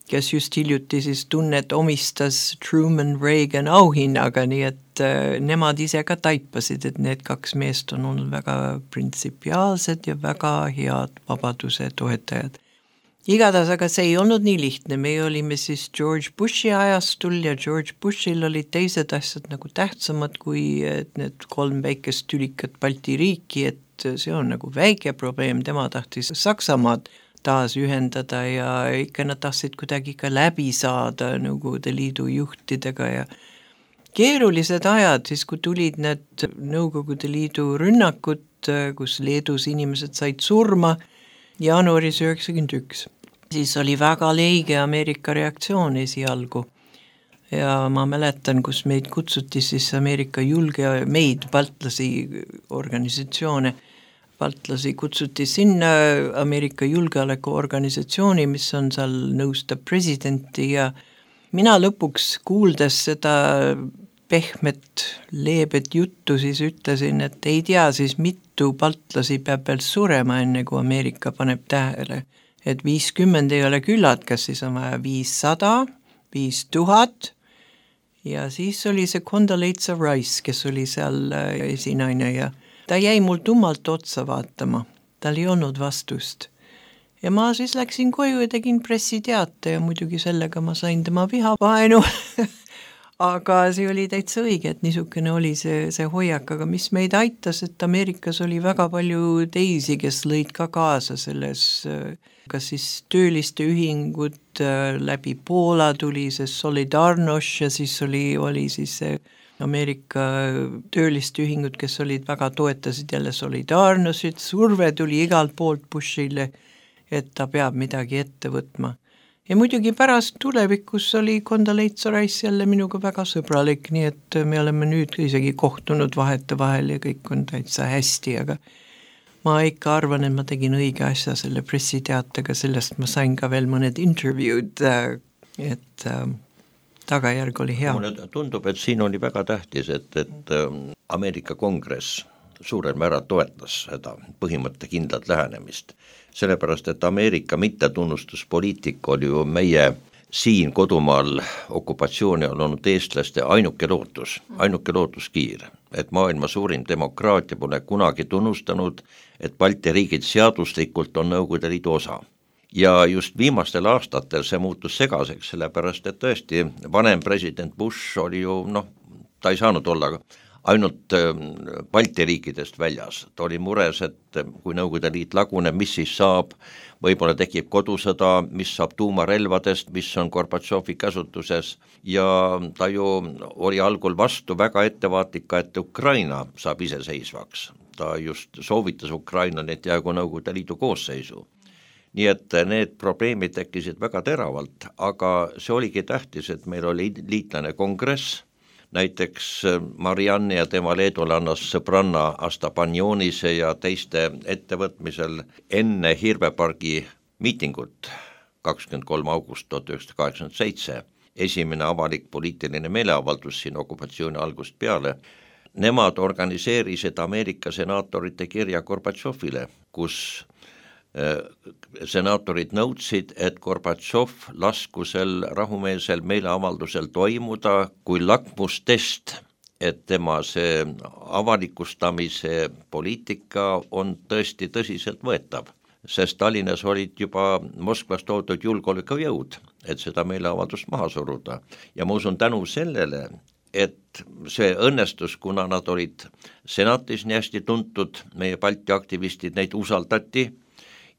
kes just hiljuti siis Tunnet omistas Truman Reagan auhinnaga, nii et uh, nemad ise ka taipasid, et need kaks meest on olnud väga printsipiaalsed ja väga head vabaduse toetajad. Igatahes, aga see ei olnud nii lihtne, me olime siis George Bushi ajastul ja George Bushil olid teised asjad nagu tähtsamad kui need kolm väikest tülikat Balti riiki, et see on nagu väike probleem, tema tahtis Saksamaad taas ühendada ja ikka nad tahtsid kuidagi ka läbi saada Nõukogude Liidu juhtidega ja keerulised ajad, siis kui tulid need Nõukogude Liidu rünnakud, kus Leedus inimesed said surma jaanuaris üheksakümmend üks. Siis oli väga leige Ameerika reaktsioon esialgu ja ma mäletan, kus meid kutsuti siis Ameerika julge, meid baltlasi organisatsioone, baltlasi kutsuti sinna Ameerika julgeolekuorganisatsiooni, mis on seal nõustab presidenti ja mina lõpuks kuuldes seda pehmet, leebet juttu siis ütlesin, et ei tea siis mitu baltlasi peab veel surema enne kui Ameerika paneb tähele, et viiskümmend ei ole küllad, kas siis on vaja viissada, viis tuhat ja siis oli see Condoleezza Rice, kes oli seal esinaine ja ta jäi mul tummalt otsa vaatama, tal ei olnud vastust. Ja ma siis läksin koju ja tegin pressiteate ja muidugi sellega ma sain tema vihavaenu. Aga see oli täitsa õige, et niisugune oli see, see hoiak, aga mis meid aitas, et Ameerikas oli väga palju teisi, kes lõid ka kaasa selles, kas siis tööliste ühingud läbi Poola tuli see Solidarność ja siis oli, oli siis see Ameerika tööliste ühingud, kes olid väga toetasid jälle Solidarnošit, surve tuli igalt poolt Bushile, et ta peab midagi ette võtma. Ja muidugi pärast tulevikus oli Condoleezza Rice jälle minuga väga sõbralik, nii et me oleme nüüd isegi kohtunud vahete vahel ja kõik on täitsa hästi, aga ma ikka arvan, et ma tegin õige asja selle pressiteatega, sellest ma sain ka veel mõned intervjuud, et tagajärg oli hea. Mulle tundub, et siin oli väga tähtis, et, et Ameerika Kongress suurel määral toetas seda põhimõtte kindlat lähenemist. Sellepärast, et Ameerika mittetunnustuspoliitika oli ju meie siin kodumaal okupatsiooni on olnud eestlaste ainuke lootus, ainuke lootuskiir, et maailma suurim demokraatia pole kunagi tunnustanud, et Balti riigid seaduslikult on Nõukogude Liidu osa. Ja just viimastel aastatel see muutus segaseks, sellepärast, et tõesti vanem president Bush oli ju, noh, ta ei saanud olla ainult Balti riikidest väljas. Ta oli mures, et kui Nõukogude Liit laguneb, mis siis saab, võib-olla tekib kodusõda, mis saab tuumarelvadest, mis on Gorbatšovi käsutuses ja ta ju oli algul vastu väga ettevaatlik, et Ukraina saab iseseisvaks. Ta just soovitas Ukrainal, et jäägu Nõukogude Liidu koosseisu. Nii et need probleemid tekkisid väga teravalt, aga see oligi tähtis, et meil oli liitlane kongress, näiteks Marianne ja tema leedulannas sõbranna Astapanionise ja teiste ettevõtmisel enne Hirvepargi miitingut kakskümmend kolm august tuhat üheksasada kaheksakümmend seitse, esimene avalik poliitiline meeleavaldus siin okupatsiooni algust peale, nemad organiseerisid Ameerika senaatorite kirja Gorbatšovile, kus senaatorid nõudsid, et Gorbatšov laskusel rahumeelsel meeleavaldusel toimuda kui lakmustest, et tema see avalikustamise poliitika on tõesti tõsiselt võetav, sest Tallinnas olid juba Moskvast toodud julgeolekujõud, et seda meeleavaldust maha suruda. Ja ma usun tänu sellele, et see õnnestus, kuna nad olid senatis nii hästi tuntud, meie Balti aktivistid, neid usaldati,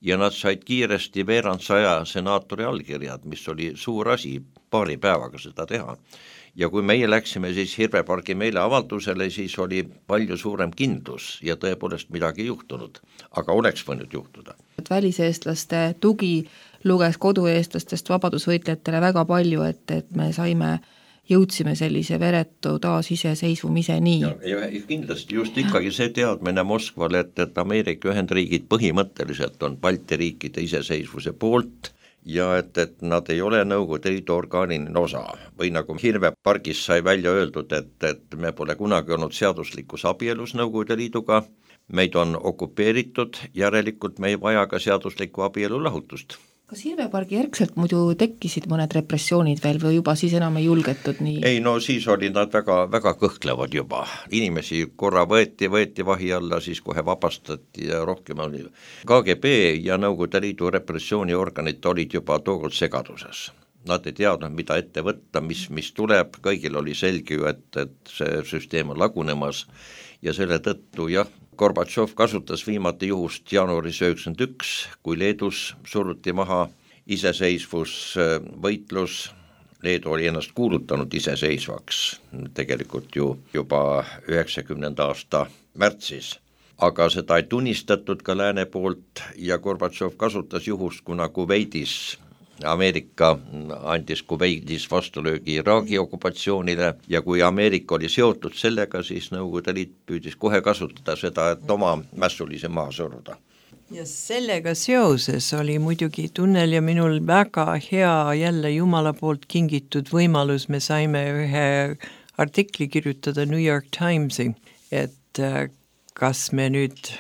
ja nad said kiiresti veerand saja senaatori allkirjad, mis oli suur asi, paari päevaga seda teha. Ja kui meie läksime siis Hirvepargi meeleavaldusele, siis oli palju suurem kindlus ja tõepoolest midagi juhtunud, aga oleks võinud juhtuda. Väliseestlaste tugi luges kodueestlastest vabadusvõitlejatele väga palju, et, et me saime jõudsime sellise veretu taas iseseisvumise nii. Ja, ja kindlasti just ikkagi see teadmine Moskvale, et, et Ameerika Ühendriigid põhimõtteliselt on Balti riikide iseseisvuse poolt ja et, et nad ei ole Nõukogude Liidu orgaaniline osa. Või nagu Hirvepargis sai välja öeldud, et, et me pole kunagi olnud seaduslikus abielus Nõukogude Liiduga, meid on okupeeritud, järelikult me ei vaja ka seaduslikku abielu lahutust. Kas Hirvepargi järgselt muidu tekkisid mõned repressioonid veel või juba siis enam ei julgetud nii? Ei, no siis olid nad väga, väga kõhklevad juba. Inimesi korra võeti, võeti vahi alla, siis kohe vabastati ja rohkem oli. K G B ja Nõukogude Liidu repressiooniorganid olid juba tookord segaduses. Nad ei teadnud, mida ette võtta, mis, mis tuleb, kõigil oli selge ju, et, et see süsteem on lagunemas ja selle tõttu jah, Gorbatšov kasutas viimati juhust jaanuaris üheksakümmend üks, kui Leedus suruti maha iseseisvus võitlus. Leedu oli ennast kuulutanud iseseisvaks tegelikult ju juba üheksakümnenda aasta märtsis, aga seda ei tunnistatud ka lääne poolt ja Gorbatšov kasutas juhust, kuna Kuveidis Ameerika andis Kuveidis vastulöögi Iraagi okupatsioonile ja kui Ameerika oli seotud sellega, siis Nõukogude Liit püüdis kohe kasutada seda, et oma mässulise maha suruda. Ja sellega seoses oli muidugi Tunnel ja minul väga hea jälle Jumala poolt kingitud võimalus, me saime ühe artikli kirjutada New York Timesi, et kas me nüüd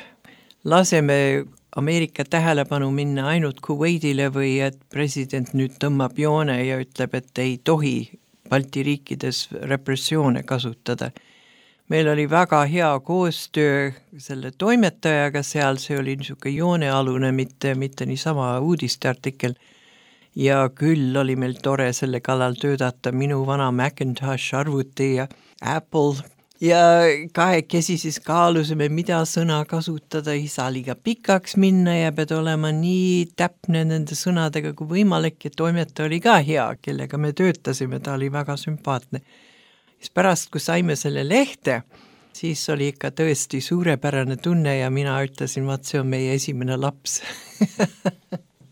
laseme Ameerika tähelepanu minna ainult Kuveidile või et president nüüd tõmbab joone ja ütleb, et ei tohi Balti riikides repressioone kasutada. Meil oli väga hea koostöö selle toimetajaga seal, see oli niisugune joonealune, mitte, mitte niisama uudisteartikkel. Ja küll oli meil tore selle kallal töötada minu vana Macintosh arvuti ja Apple ja kahekesi siis kaalusime, mida sõna kasutada, ei saa liiga pikaks minna ja pead olema nii täpne nende sõnadega kui võimalik ja toimetaja oli ka hea, kellega me töötasime, ta oli väga sümpaatne. Siis pärast, kui saime selle lehte, siis oli ikka tõesti suurepärane tunne ja mina ütlesin, vaat see on meie esimene laps.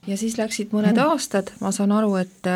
Ja siis läksid mõned aastad, ma saan aru, et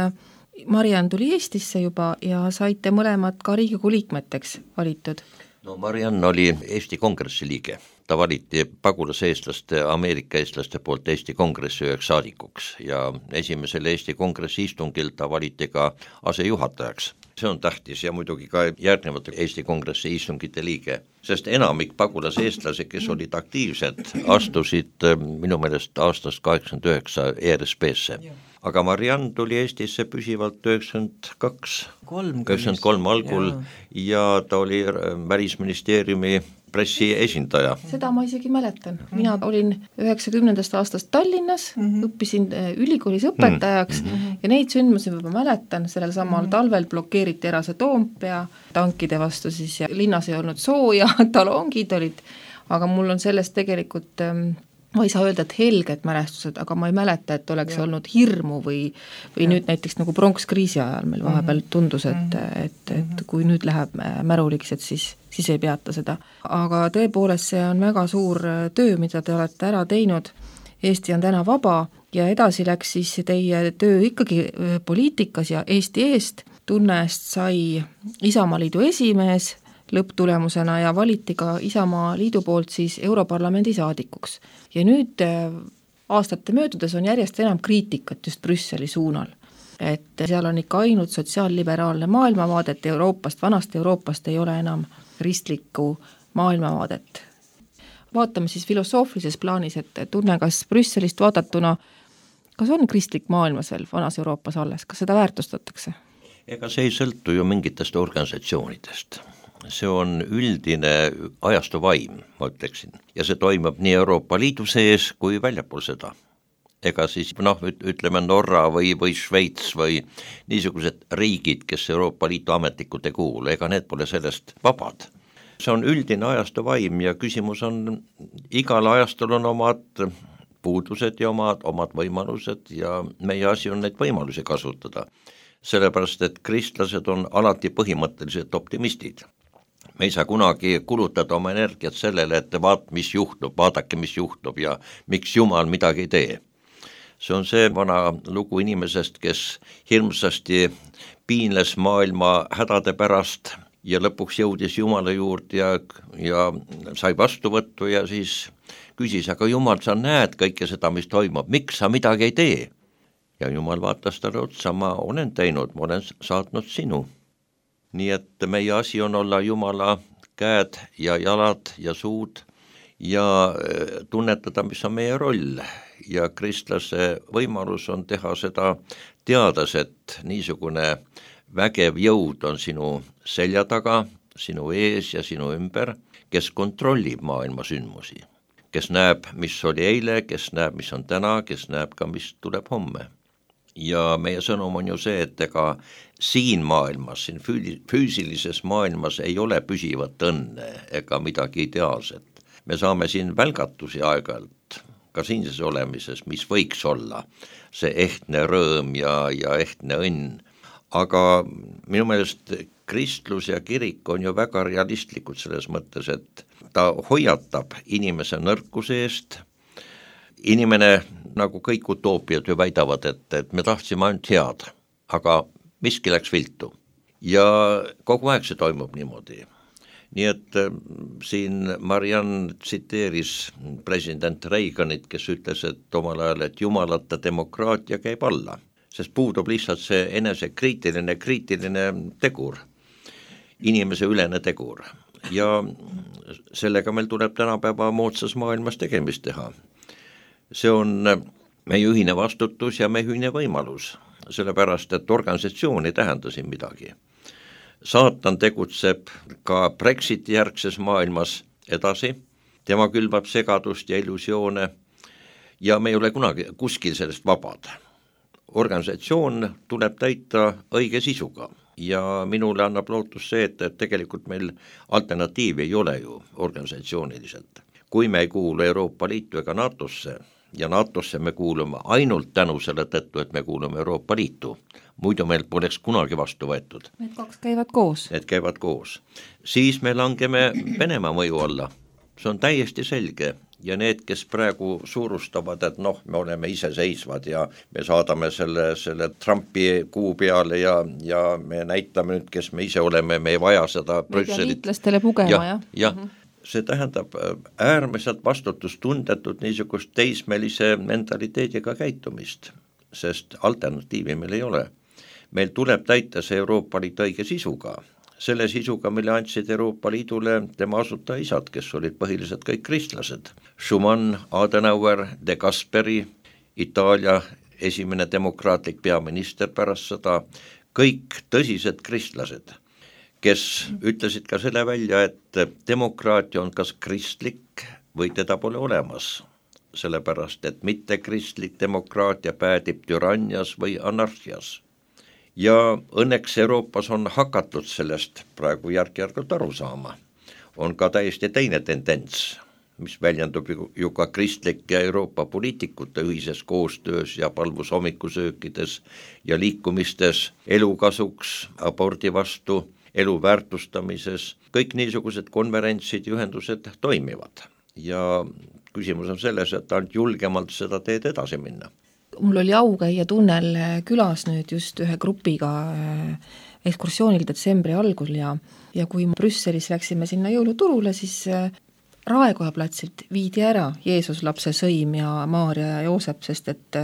Mariann tuli Eestisse juba ja saite mõlemad ka Riigikogu liikmeteks valitud. No Mariann oli Eesti Kongressi liige. Ta valiti pagulaseestlaste, Ameerika eestlaste poolt Eesti Kongressi üheks saadikuks ja esimesel Eesti Kongressi istungil ta valiti ka asejuhatajaks. See on tähtis ja muidugi ka järgnevate Eesti Kongressi istungite liige, sest enamik pagulaseestlasi, kes olid aktiivsed, astusid minu meelest aastast kaheksakümmend üheksa E R S P-sse. Aga Mariann tuli Eestisse püsivalt üheksakümmend kaks, üheksakümmend kolm algul ja ta oli Välisministeeriumi pressiesindaja. Seda ma isegi mäletan. Mina olin üheksakümnendast aastast Tallinnas, mm-hmm. õppisin ülikoolis õpetajaks mm-hmm. ja neid sündmusi ma mäletan, sellel samal mm-hmm. talvel blokeeriti ära see Toompea tankide vastu siis ja linnas ei olnud sooja, talongid olid, aga mul on sellest tegelikult ma ei saa öelda, et helged mälestused, aga ma ei mäleta, et oleks ja. olnud hirmu või, või ja. nüüd näiteks nagu pronkskriisi ajal meil vahepeal tundus, et, et, et kui nüüd läheb märuliks, et siis, siis ei peata seda. Aga tõepoolest see on väga suur töö, mida te olete ära teinud Eesti on täna vaba ja edasi läks siis teie töö ikkagi poliitikas ja Eesti eest. Tunne-est sai Isamaa Liidu esimees lõpptulemusena ja valiti ka Isamaa Liidu poolt siis Europarlamendi saadikuks. Ja nüüd aastate möödudes on järjest enam kriitikat just Brüsseli suunal. Et seal on ikka ainult sotsiaalliberaalne maailmavaadet Euroopast, vanast Euroopast ei ole enam kristlikku maailmavaadet. Vaatame siis filosoofilises plaanis, et Tunne, kas Brüsselist vaadatuna, kas on kristlik maailmas veel vanas Euroopas alles, kas seda väärtustatakse? Ega see ei sõltu ju mingitest organisatsioonidest. See on üldine ajastu vaim, ma ütleksin, ja see toimub nii Euroopa Liidu sees kui väljapool seda. Ega siis noh, ütleme Norra või, või Šveits või niisugused riigid, kes Euroopa Liidu ametlikud ei kuulu, ega need pole sellest vabad. See on üldine ajastu vaim ja küsimus on, igal ajastul on omad puudused ja omad, omad võimalused ja meie asi on neid võimalusi kasutada. Sellepärast, et kristlased on alati põhimõtteliselt optimistid. Me ei saa kunagi kulutada oma energiat sellele, et vaat, mis juhtub, vaadake, mis juhtub ja miks Jumal midagi ei tee. See on see vana lugu inimesest, kes hirmsasti piinles maailma hädade pärast ja lõpuks jõudis Jumala juurde ja, ja sai vastuvõttu ja siis küsis, aga Jumal, sa näed kõike seda, mis toimub, miks sa midagi ei tee? Ja Jumal vaatas talle otsa, ma olen teinud, ma olen saatnud sinu. Nii et meie asi on olla Jumala käed ja jalad ja suud ja tunnetada, mis on meie roll. Ja kristlase võimalus on teha seda teades, et niisugune vägev jõud on sinu selja taga, sinu ees ja sinu ümber, kes kontrollib maailma sündmusi, kes näeb, mis oli eile, kes näeb, mis on täna, kes näeb ka, mis tuleb homme. Ja meie sõnum on ju see, et ega siin maailmas, siin füüsilises maailmas ei ole püsivat õnne ega midagi ideaalset. Me saame siin välgatusi aeg-ajalt, ka siinses olemises, mis võiks olla see ehtne rõõm ja, ja ehtne õnn. Aga minu meelest kristlus ja kirik on ju väga realistlikud selles mõttes, et ta hoiatab inimese nõrkuse eest. Inimene, nagu kõik utoopiad ju väidavad, et, et me tahtsime ainult head, aga miski läks viltu. Ja kogu aeg see toimub niimoodi. Nii et siin Marianne tsiteeris president Reaganit, kes ütles, et omal ajal, et jumalata demokraatia käib alla. Sest puudub lihtsalt see enese kriitiline, kriitiline tegur, inimese ülene tegur. Ja sellega meil tuleb tänapäeva moodsas maailmas tegemist teha. See on meie ühine vastutus ja meie ühine võimalus, sellepärast, et organisatsioon ei tähenda siin midagi. Saatan tegutseb ka Brexiti järgses maailmas edasi, tema külvab segadust ja illusioone ja me ei ole kunagi kuskil sellest vabad. Organisatsioon tuleb täita õige sisuga ja minule annab lootus see, et tegelikult meil alternatiivi ei ole ju organisatsiooniliselt. Kui me ei kuulu Euroopa Liitu ega NATOsse ja NATOsse me kuulume ainult tänu selle tõttu, et me kuulume Euroopa Liitu, muidu meil poleks kunagi vastu võetud. Need kaks käivad koos. Need käivad koos. Siis me langeme Venemaa mõju alla. See on täiesti selge. Ja need, kes praegu suurustavad, et noh, me oleme iseseisvad ja me saadame selle, selle Trumpi kuu peale ja, ja me näitame nüüd, kes me ise oleme, me ei vaja seda Brüsselit. Me liitlastele pugema, jah? jah, jah. Mm-hmm. See tähendab äärmiselt vastutustundetut niisugust teismelise mentaliteediga käitumist, sest alternatiivi meil ei ole. Meil tuleb täita see Euroopa Liit õige sisuga. Selle sisuga, mille andsid Euroopa Liidule tema asutajaisad, kes olid põhiliselt kõik kristlased. Schumann, Adenauer, De Gasperi, Itaalia esimene demokraatlik peaminister pärast seda, kõik tõsised kristlased, kes ütlesid ka selle välja, et demokraatia on kas kristlik või teda pole olemas, sellepärast et mitte kristlik demokraatia päädib türannias või anarhias. Ja õnneks Euroopas on hakatud sellest praegu järk-järgult aru saama. On ka täiesti teine tendents, mis väljendub ju ka kristlik ja Euroopa poliitikute ühises koostöös ja palvus hommikusöökides ja liikumistes elukasuks, abordi vastu, elu väärtustamises. Kõik niisugused konverentsid ja ühendused toimivad. Ja küsimus on selles, et ainult julgemalt seda teed edasi minna. Mul oli au käia Tunnel külas nüüd just ühe grupiga ekskursioonil detsembri algul ja, ja kui Brüsselis läksime sinna jõuluturule, siis Raekoja platsilt viidi ära Jeesus lapse sõim ja Maarja ja Joosep, sest et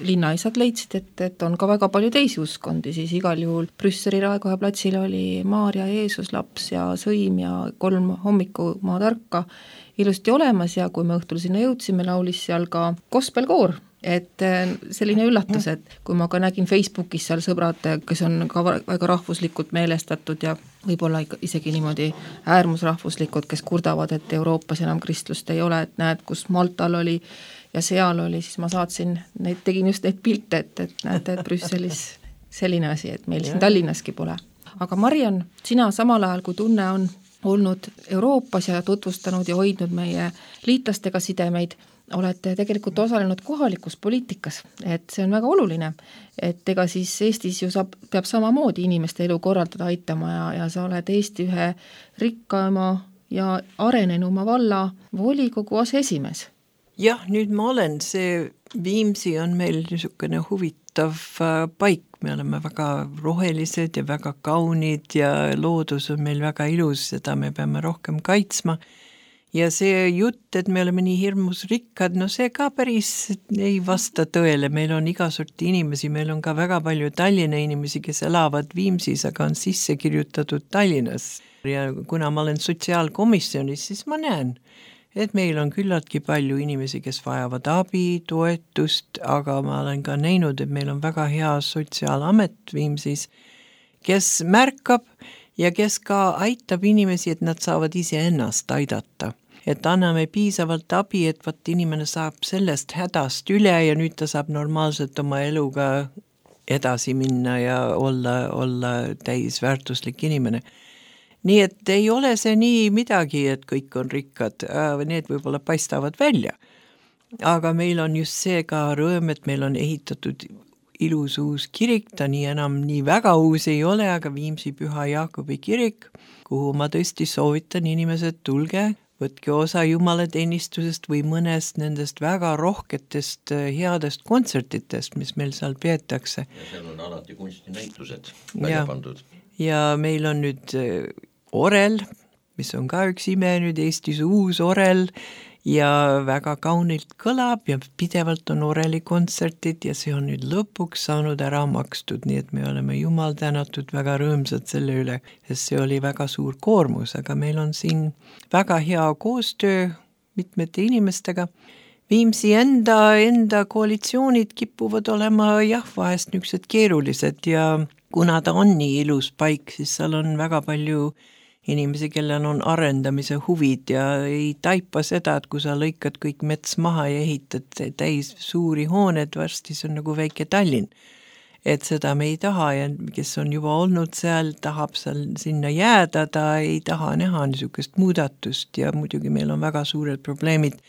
linnaisad leidsid, et, et on ka väga palju teisi uskondi, siis igal juhul Brüsseli Raekoja platsil oli Maarja, Jeesus laps ja sõim ja kolm hommikumaa tarka ilusti olemas ja kui me õhtul sinna jõudsime, laulis seal ka gospelkoor, et selline üllatus, et kui ma ka nägin Facebookis seal sõbrad, kes on ka väga rahvuslikult meelestatud ja võib-olla isegi niimoodi äärmusrahvuslikud, kes kurdavad, et Euroopas enam kristlust ei ole, et näed, kus Maltal oli ja seal oli, siis ma saatsin, neid, tegin just neid pilte, et, et näete, et Brüsselis selline asi, et meil siin Tallinnaski pole. Aga Mariann, sina samal ajal, kui Tunne on olnud Euroopas ja tutvustanud ja hoidnud meie liitlastega sidemeid, olete tegelikult osalenud kohalikus poliitikas, et see on väga oluline, et ega siis Eestis ju saab, peab samamoodi inimeste elu korraldada aitama ja, ja sa oled Eesti ühe rikkama ja arenenuma valla volikogu aseesimees. Jah, nüüd ma olen, see Viimsi on meil niisugune huvitav paik, me oleme väga rohelised ja väga kaunid ja loodus on meil väga ilus, seda me peame rohkem kaitsma. Ja see jutt, et me oleme nii hirmus rikkad, no see ka päris ei vasta tõele, meil on iga sorti inimesi, meil on ka väga palju Tallinna inimesi, kes elavad Viimsis, aga on sisse kirjutatud Tallinnas. Ja kuna ma olen sotsiaalkomisjonis, siis ma näen, et meil on küllaltki palju inimesi, kes vajavad abi, toetust, aga ma olen ka näinud, et meil on väga hea sotsiaalamet Viimsis, kes märkab ja kes ka aitab inimesi, et nad saavad ise ennast aidata. Et anname piisavalt abi, et vaat inimene saab sellest hädast üle ja nüüd ta saab normaalselt oma eluga edasi minna ja olla, olla täisväärtuslik inimene. Nii et ei ole see nii midagi, et kõik on rikkad, need võib-olla paistavad välja. Aga meil on just see ka rõõm, et meil on ehitatud ilus uus kirik, ta nii enam nii väga uus ei ole, aga Viimsi Püha Jaakobi kirik, kuhu ma tõesti soovitan inimesed, tulge, võtke osa jumalateenistusest või mõnest nendest väga rohketest headest kontsertitest, mis meil seal peetakse. Ja seal on alati kunstinäitused välja pandud. Ja meil on nüüd orel, mis on ka üks ime nüüd Eestis uus orel, ja väga kaunilt kõlab ja pidevalt on oreli kontsertid ja see on nüüd lõpuks saanud ära makstud, nii et me oleme jumal tänatud väga rõõmsad selle üle, sest see oli väga suur koormus, aga meil on siin väga hea koostöö mitmete inimestega. Viimsi enda, enda koalitsioonid kipuvad olema jah, vahest niisugused keerulised ja kuna ta on nii ilus paik, siis seal on väga palju inimesi, kellel on arendamise huvid ja ei taipa seda, et kui sa lõikad kõik mets maha ja ehitad täis suuri hooned, varsti see on nagu väike Tallinn. Et seda me ei taha ja kes on juba olnud seal, tahab seal sinna jääda, ta ei taha näha niisugust muudatust ja muidugi meil on väga suured probleemid.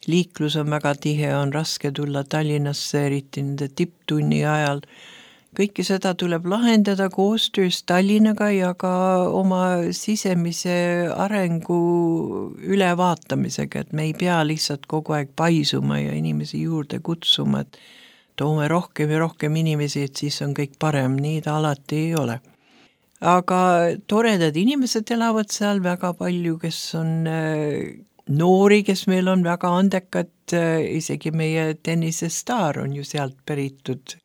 Liiklus on väga tihe, on raske tulla Tallinnasse, eriti nende tipptunni ajal. Kõike seda tuleb lahendada koostöös Tallinnaga ja ka oma sisemise arengu ülevaatamisega, et me ei pea lihtsalt kogu aeg paisuma ja inimesi juurde kutsuma, et toome rohkem ja rohkem inimesi, et siis on kõik parem, nii ta alati ei ole. Aga toredad inimesed elavad seal väga palju, kes on noori, kes meil on väga andekad, isegi meie tennisestaar on ju sealt päritud,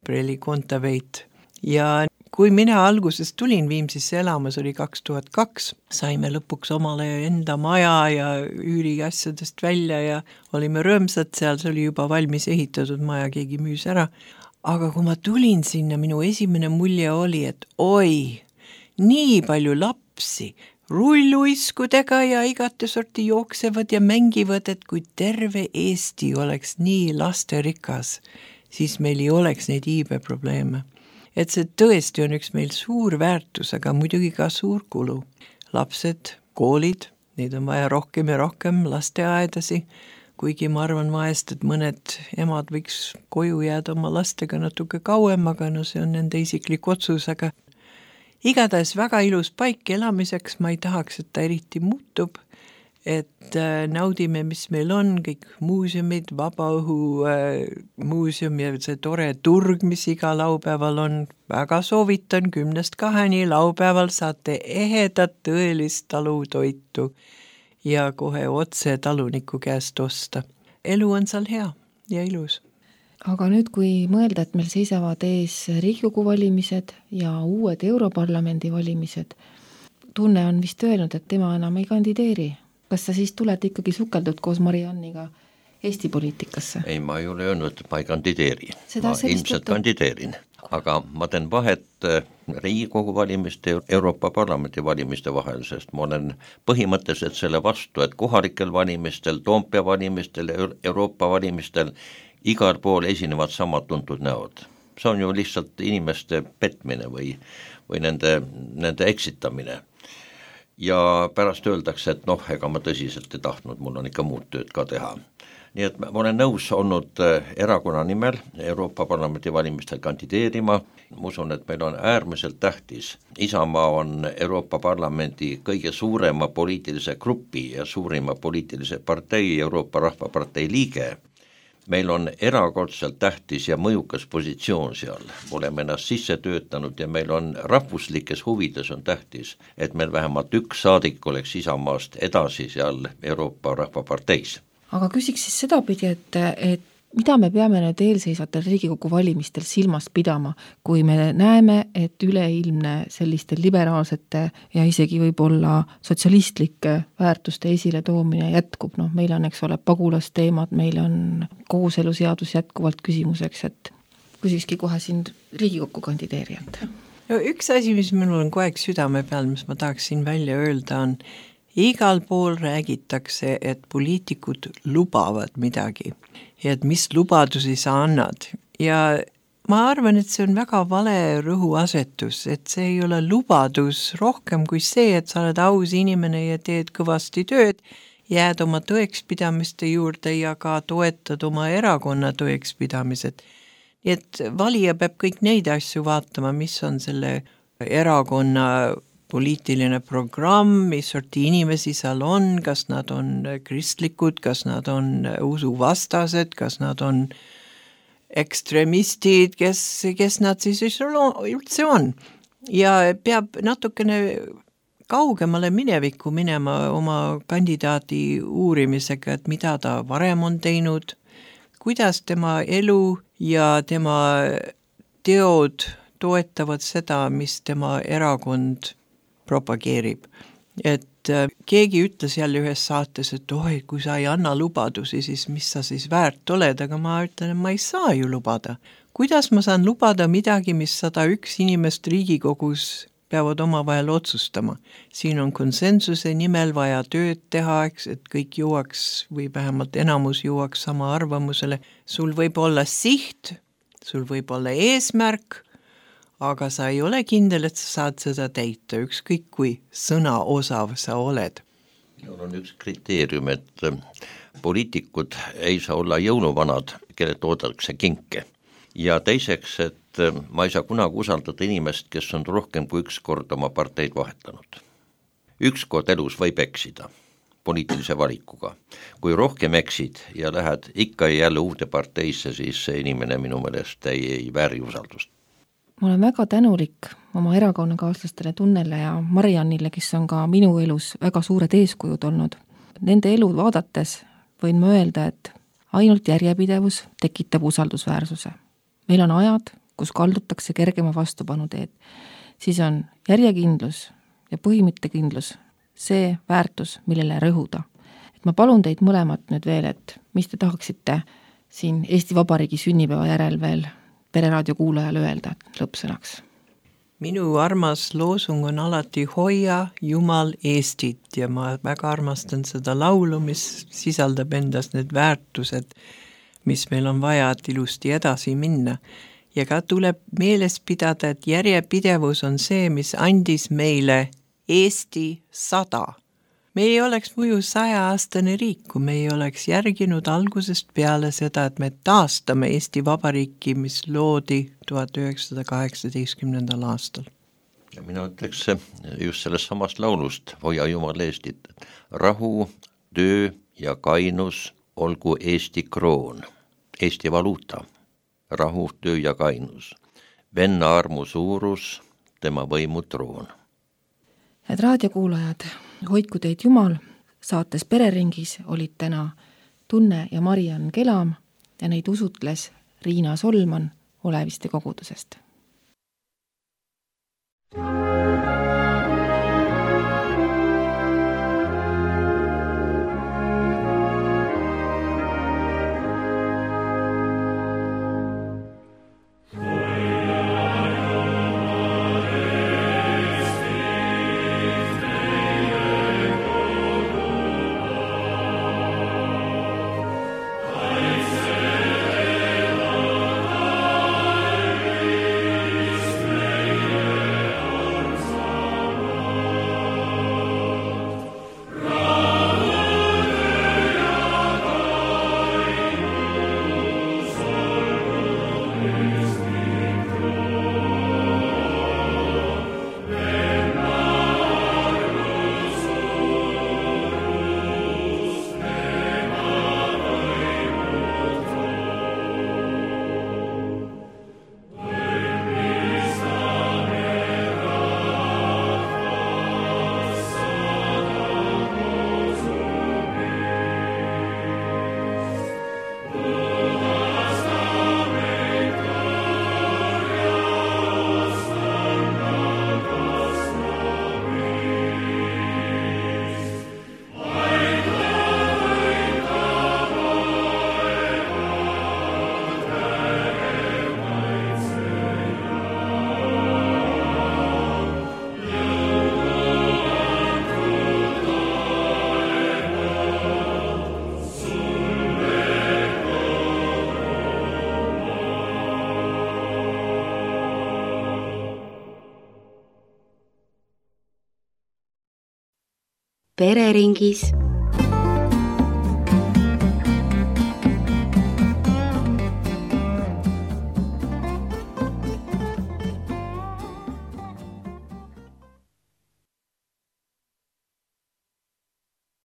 Preli Kontaveit. Ja kui mina alguses tulin Viimsisse elamas, oli kaks tuhat kaks, saime lõpuks omale enda maja ja üüri asjadest välja ja olime rõõmsad seal, see oli juba valmis ehitatud maja, keegi müüs ära. Aga kui ma tulin sinna, minu esimene mulje oli, et oi, nii palju lapsi, rulluiskudega ja igate sorti jooksevad ja mängivad, et kui terve Eesti oleks nii lasterikas, siis meil ei oleks neid iibeprobleeme. Et see tõesti on üks meil suur väärtus, aga muidugi ka suur kulu. Lapsed, koolid, neid on vaja rohkem ja rohkem lasteaedasi, kuigi ma arvan vahest, et mõned emad võiks koju jääda oma lastega natuke kauem, aga no see on nende isiklik otsus, aga igatahes väga ilus paik elamiseks, ma ei tahaks, et ta eriti muutub, et naudime, mis meil on, kõik muuseumid, vabaõhu muuseum ja see tore turg, mis iga laupäeval on, väga soovitan, kümnest kaheni laupäeval saate ehedat tõelist talutoitu ja kohe otse taluniku käest osta. Elu on seal hea ja ilus. Aga nüüd, kui mõelda, et meil seisavad ees Riigikogu valimised ja uued Europarlamendi valimised, tunne on vist öelnud, et tema enam ei kandideeri. Kas sa siis tuled ikkagi sukeldud koos Marianniga Eesti poliitikasse? Ei, ma ei ole öelnud, et ma ei kandideeri. Seda ma ilmselt juttu... kandideerin, aga ma teen vahet Riigikogu valimiste ja Euroopa Parlamendi valimiste vahel, sest ma olen põhimõtteliselt selle vastu, et kohalikel valimistel, Toompea valimistel, Euroopa valimistel igal pool esinevad samad tuntud näod. See on ju lihtsalt inimeste petmine või, või nende, nende eksitamine. Ja pärast öeldakse, et noh, ega ma tõsiselt ei tahtnud, mul on ikka muud tööd ka teha. Nii et ma olen nõus olnud erakonna nimel Euroopa Parlamendi valimistel kandideerima. Ma usun, et meil on äärmiselt tähtis. Isamaa on Euroopa Parlamendi kõige suurema poliitilise grupi ja suurima poliitilise partei, Euroopa Rahvapartei liige. Meil on erakordselt tähtis ja mõjukas positsioon seal, oleme ennast sisse töötanud ja meil on rahvuslikes huvides on tähtis, et meil vähemalt üks saadik oleks Isamaast edasi seal Euroopa Rahvaparteis. Aga küsiks siis seda pidi, et, et mida me peame nüüd eelseisvatel Riigikogu valimistel silmas pidama, kui me näeme, et üleilmne selliste liberaalsete ja isegi võib-olla sotsialistlike väärtuste esile toomine jätkub. No, meil on, eks ole, pagulasteemad, meil on kooseluseadus jätkuvalt küsimuseks, et küsikski kohe siin Riigikokku kandideerijat. No, üks asi, mis minul on kogu aeg südame peal, mis ma tahaksin välja öelda, on igal pool räägitakse, et poliitikud lubavad midagi ja et mis lubadusi sa annad. Ja ma arvan, et see on väga vale rõhuasetus, et see ei ole lubadus rohkem kui see, et sa oled aus inimene ja teed kõvasti tööd, jääd oma tõekspidamiste juurde ja ka toetad oma erakonna tõekspidamised. Nii et valija peab kõik neid asju vaatama, mis on selle erakonna poliitiline programm, mis sorti inimesi seal on, kas nad on kristlikud, kas nad on usuvastased, kas nad on ekstremistid, kes, kes nad siis üldse on. Ja peab natukene kaugemale minevikku minema oma kandidaadi uurimisega, et mida ta varem on teinud, kuidas tema elu ja tema teod toetavad seda, mis tema erakond propageerib. Et keegi ütles jälle ühes saates, et oi, kui sa ei anna lubadusi, siis mis sa siis väärt oled, aga ma ütlen, et ma ei saa ju lubada. Kuidas ma saan lubada midagi, mis sada üks inimest Riigikogus peavad oma vahel otsustama? Siin on konsensuse nimel vaja tööd teha, et kõik jõuaks või vähemalt enamus jõuaks sama arvamusele. Sul võib olla siht, sul võib olla eesmärk, aga sa ei ole kindel, et sa saad seda täita, ükskõik kui sõna osav sa oled. Mul on üks kriteerium, et poliitikud ei saa olla jõuluvanad, kelle toodetakse kinke. Ja teiseks, et ma ei saa kunagi usaldada inimest, kes on rohkem kui üks kord oma parteid vahetanud. Üks kord elus võib eksida poliitilise valikuga. Kui rohkem eksid ja lähed ikka jälle uude parteisse, siis see inimene minu meelest ei, ei vääri usaldust. Ma olen väga tänulik oma erakonnakaaslastele Tunnele ja Mariannile, kes on ka minu elus väga suured eeskujud olnud. Nende elu vaadates võin ma öelda, et ainult järjepidevus tekitab usaldusväärsuse. Meil on ajad, kus kaldutakse kergema vastupanu teed. Siis on järjekindlus ja põhimõttekindlus see väärtus, millele rõhuda. Et ma palun teid mõlemat nüüd veel, et mis te tahaksite siin Eesti Vabariigi sünnipäeva järel veel Pereraadio kuulajale öelda lõppsõnaks? Minu armas loosung on alati hoia Jumal Eestit ja ma väga armastan seda laulu, mis sisaldab endas need väärtused, mis meil on vaja, et ilusti edasi minna. Ja ka tuleb meeles pidada, et järjepidevus on see, mis andis meile Eesti sada. Me ei oleks muidu saja-aastane riik, kui me ei oleks järginud algusest peale seda, et me taastame Eesti Vabariiki, mis loodi tuhat üheksasada kaheksateistkümnendal aastal. Ja mina ütleks just sellest samast laulust, hoia Jumal Eestit, rahu, töö ja kainus olgu Eesti kroon, Eesti valuuta, rahu, töö ja kainus, venna armu suurus, tema võimu troon. Head raadiokuulajad, hoidku teid Jumal, saates Pereringis olid täna Tunne ja Mariann Kelam ja neid usutles Riina Solman Oleviste kogudusest. Pereringis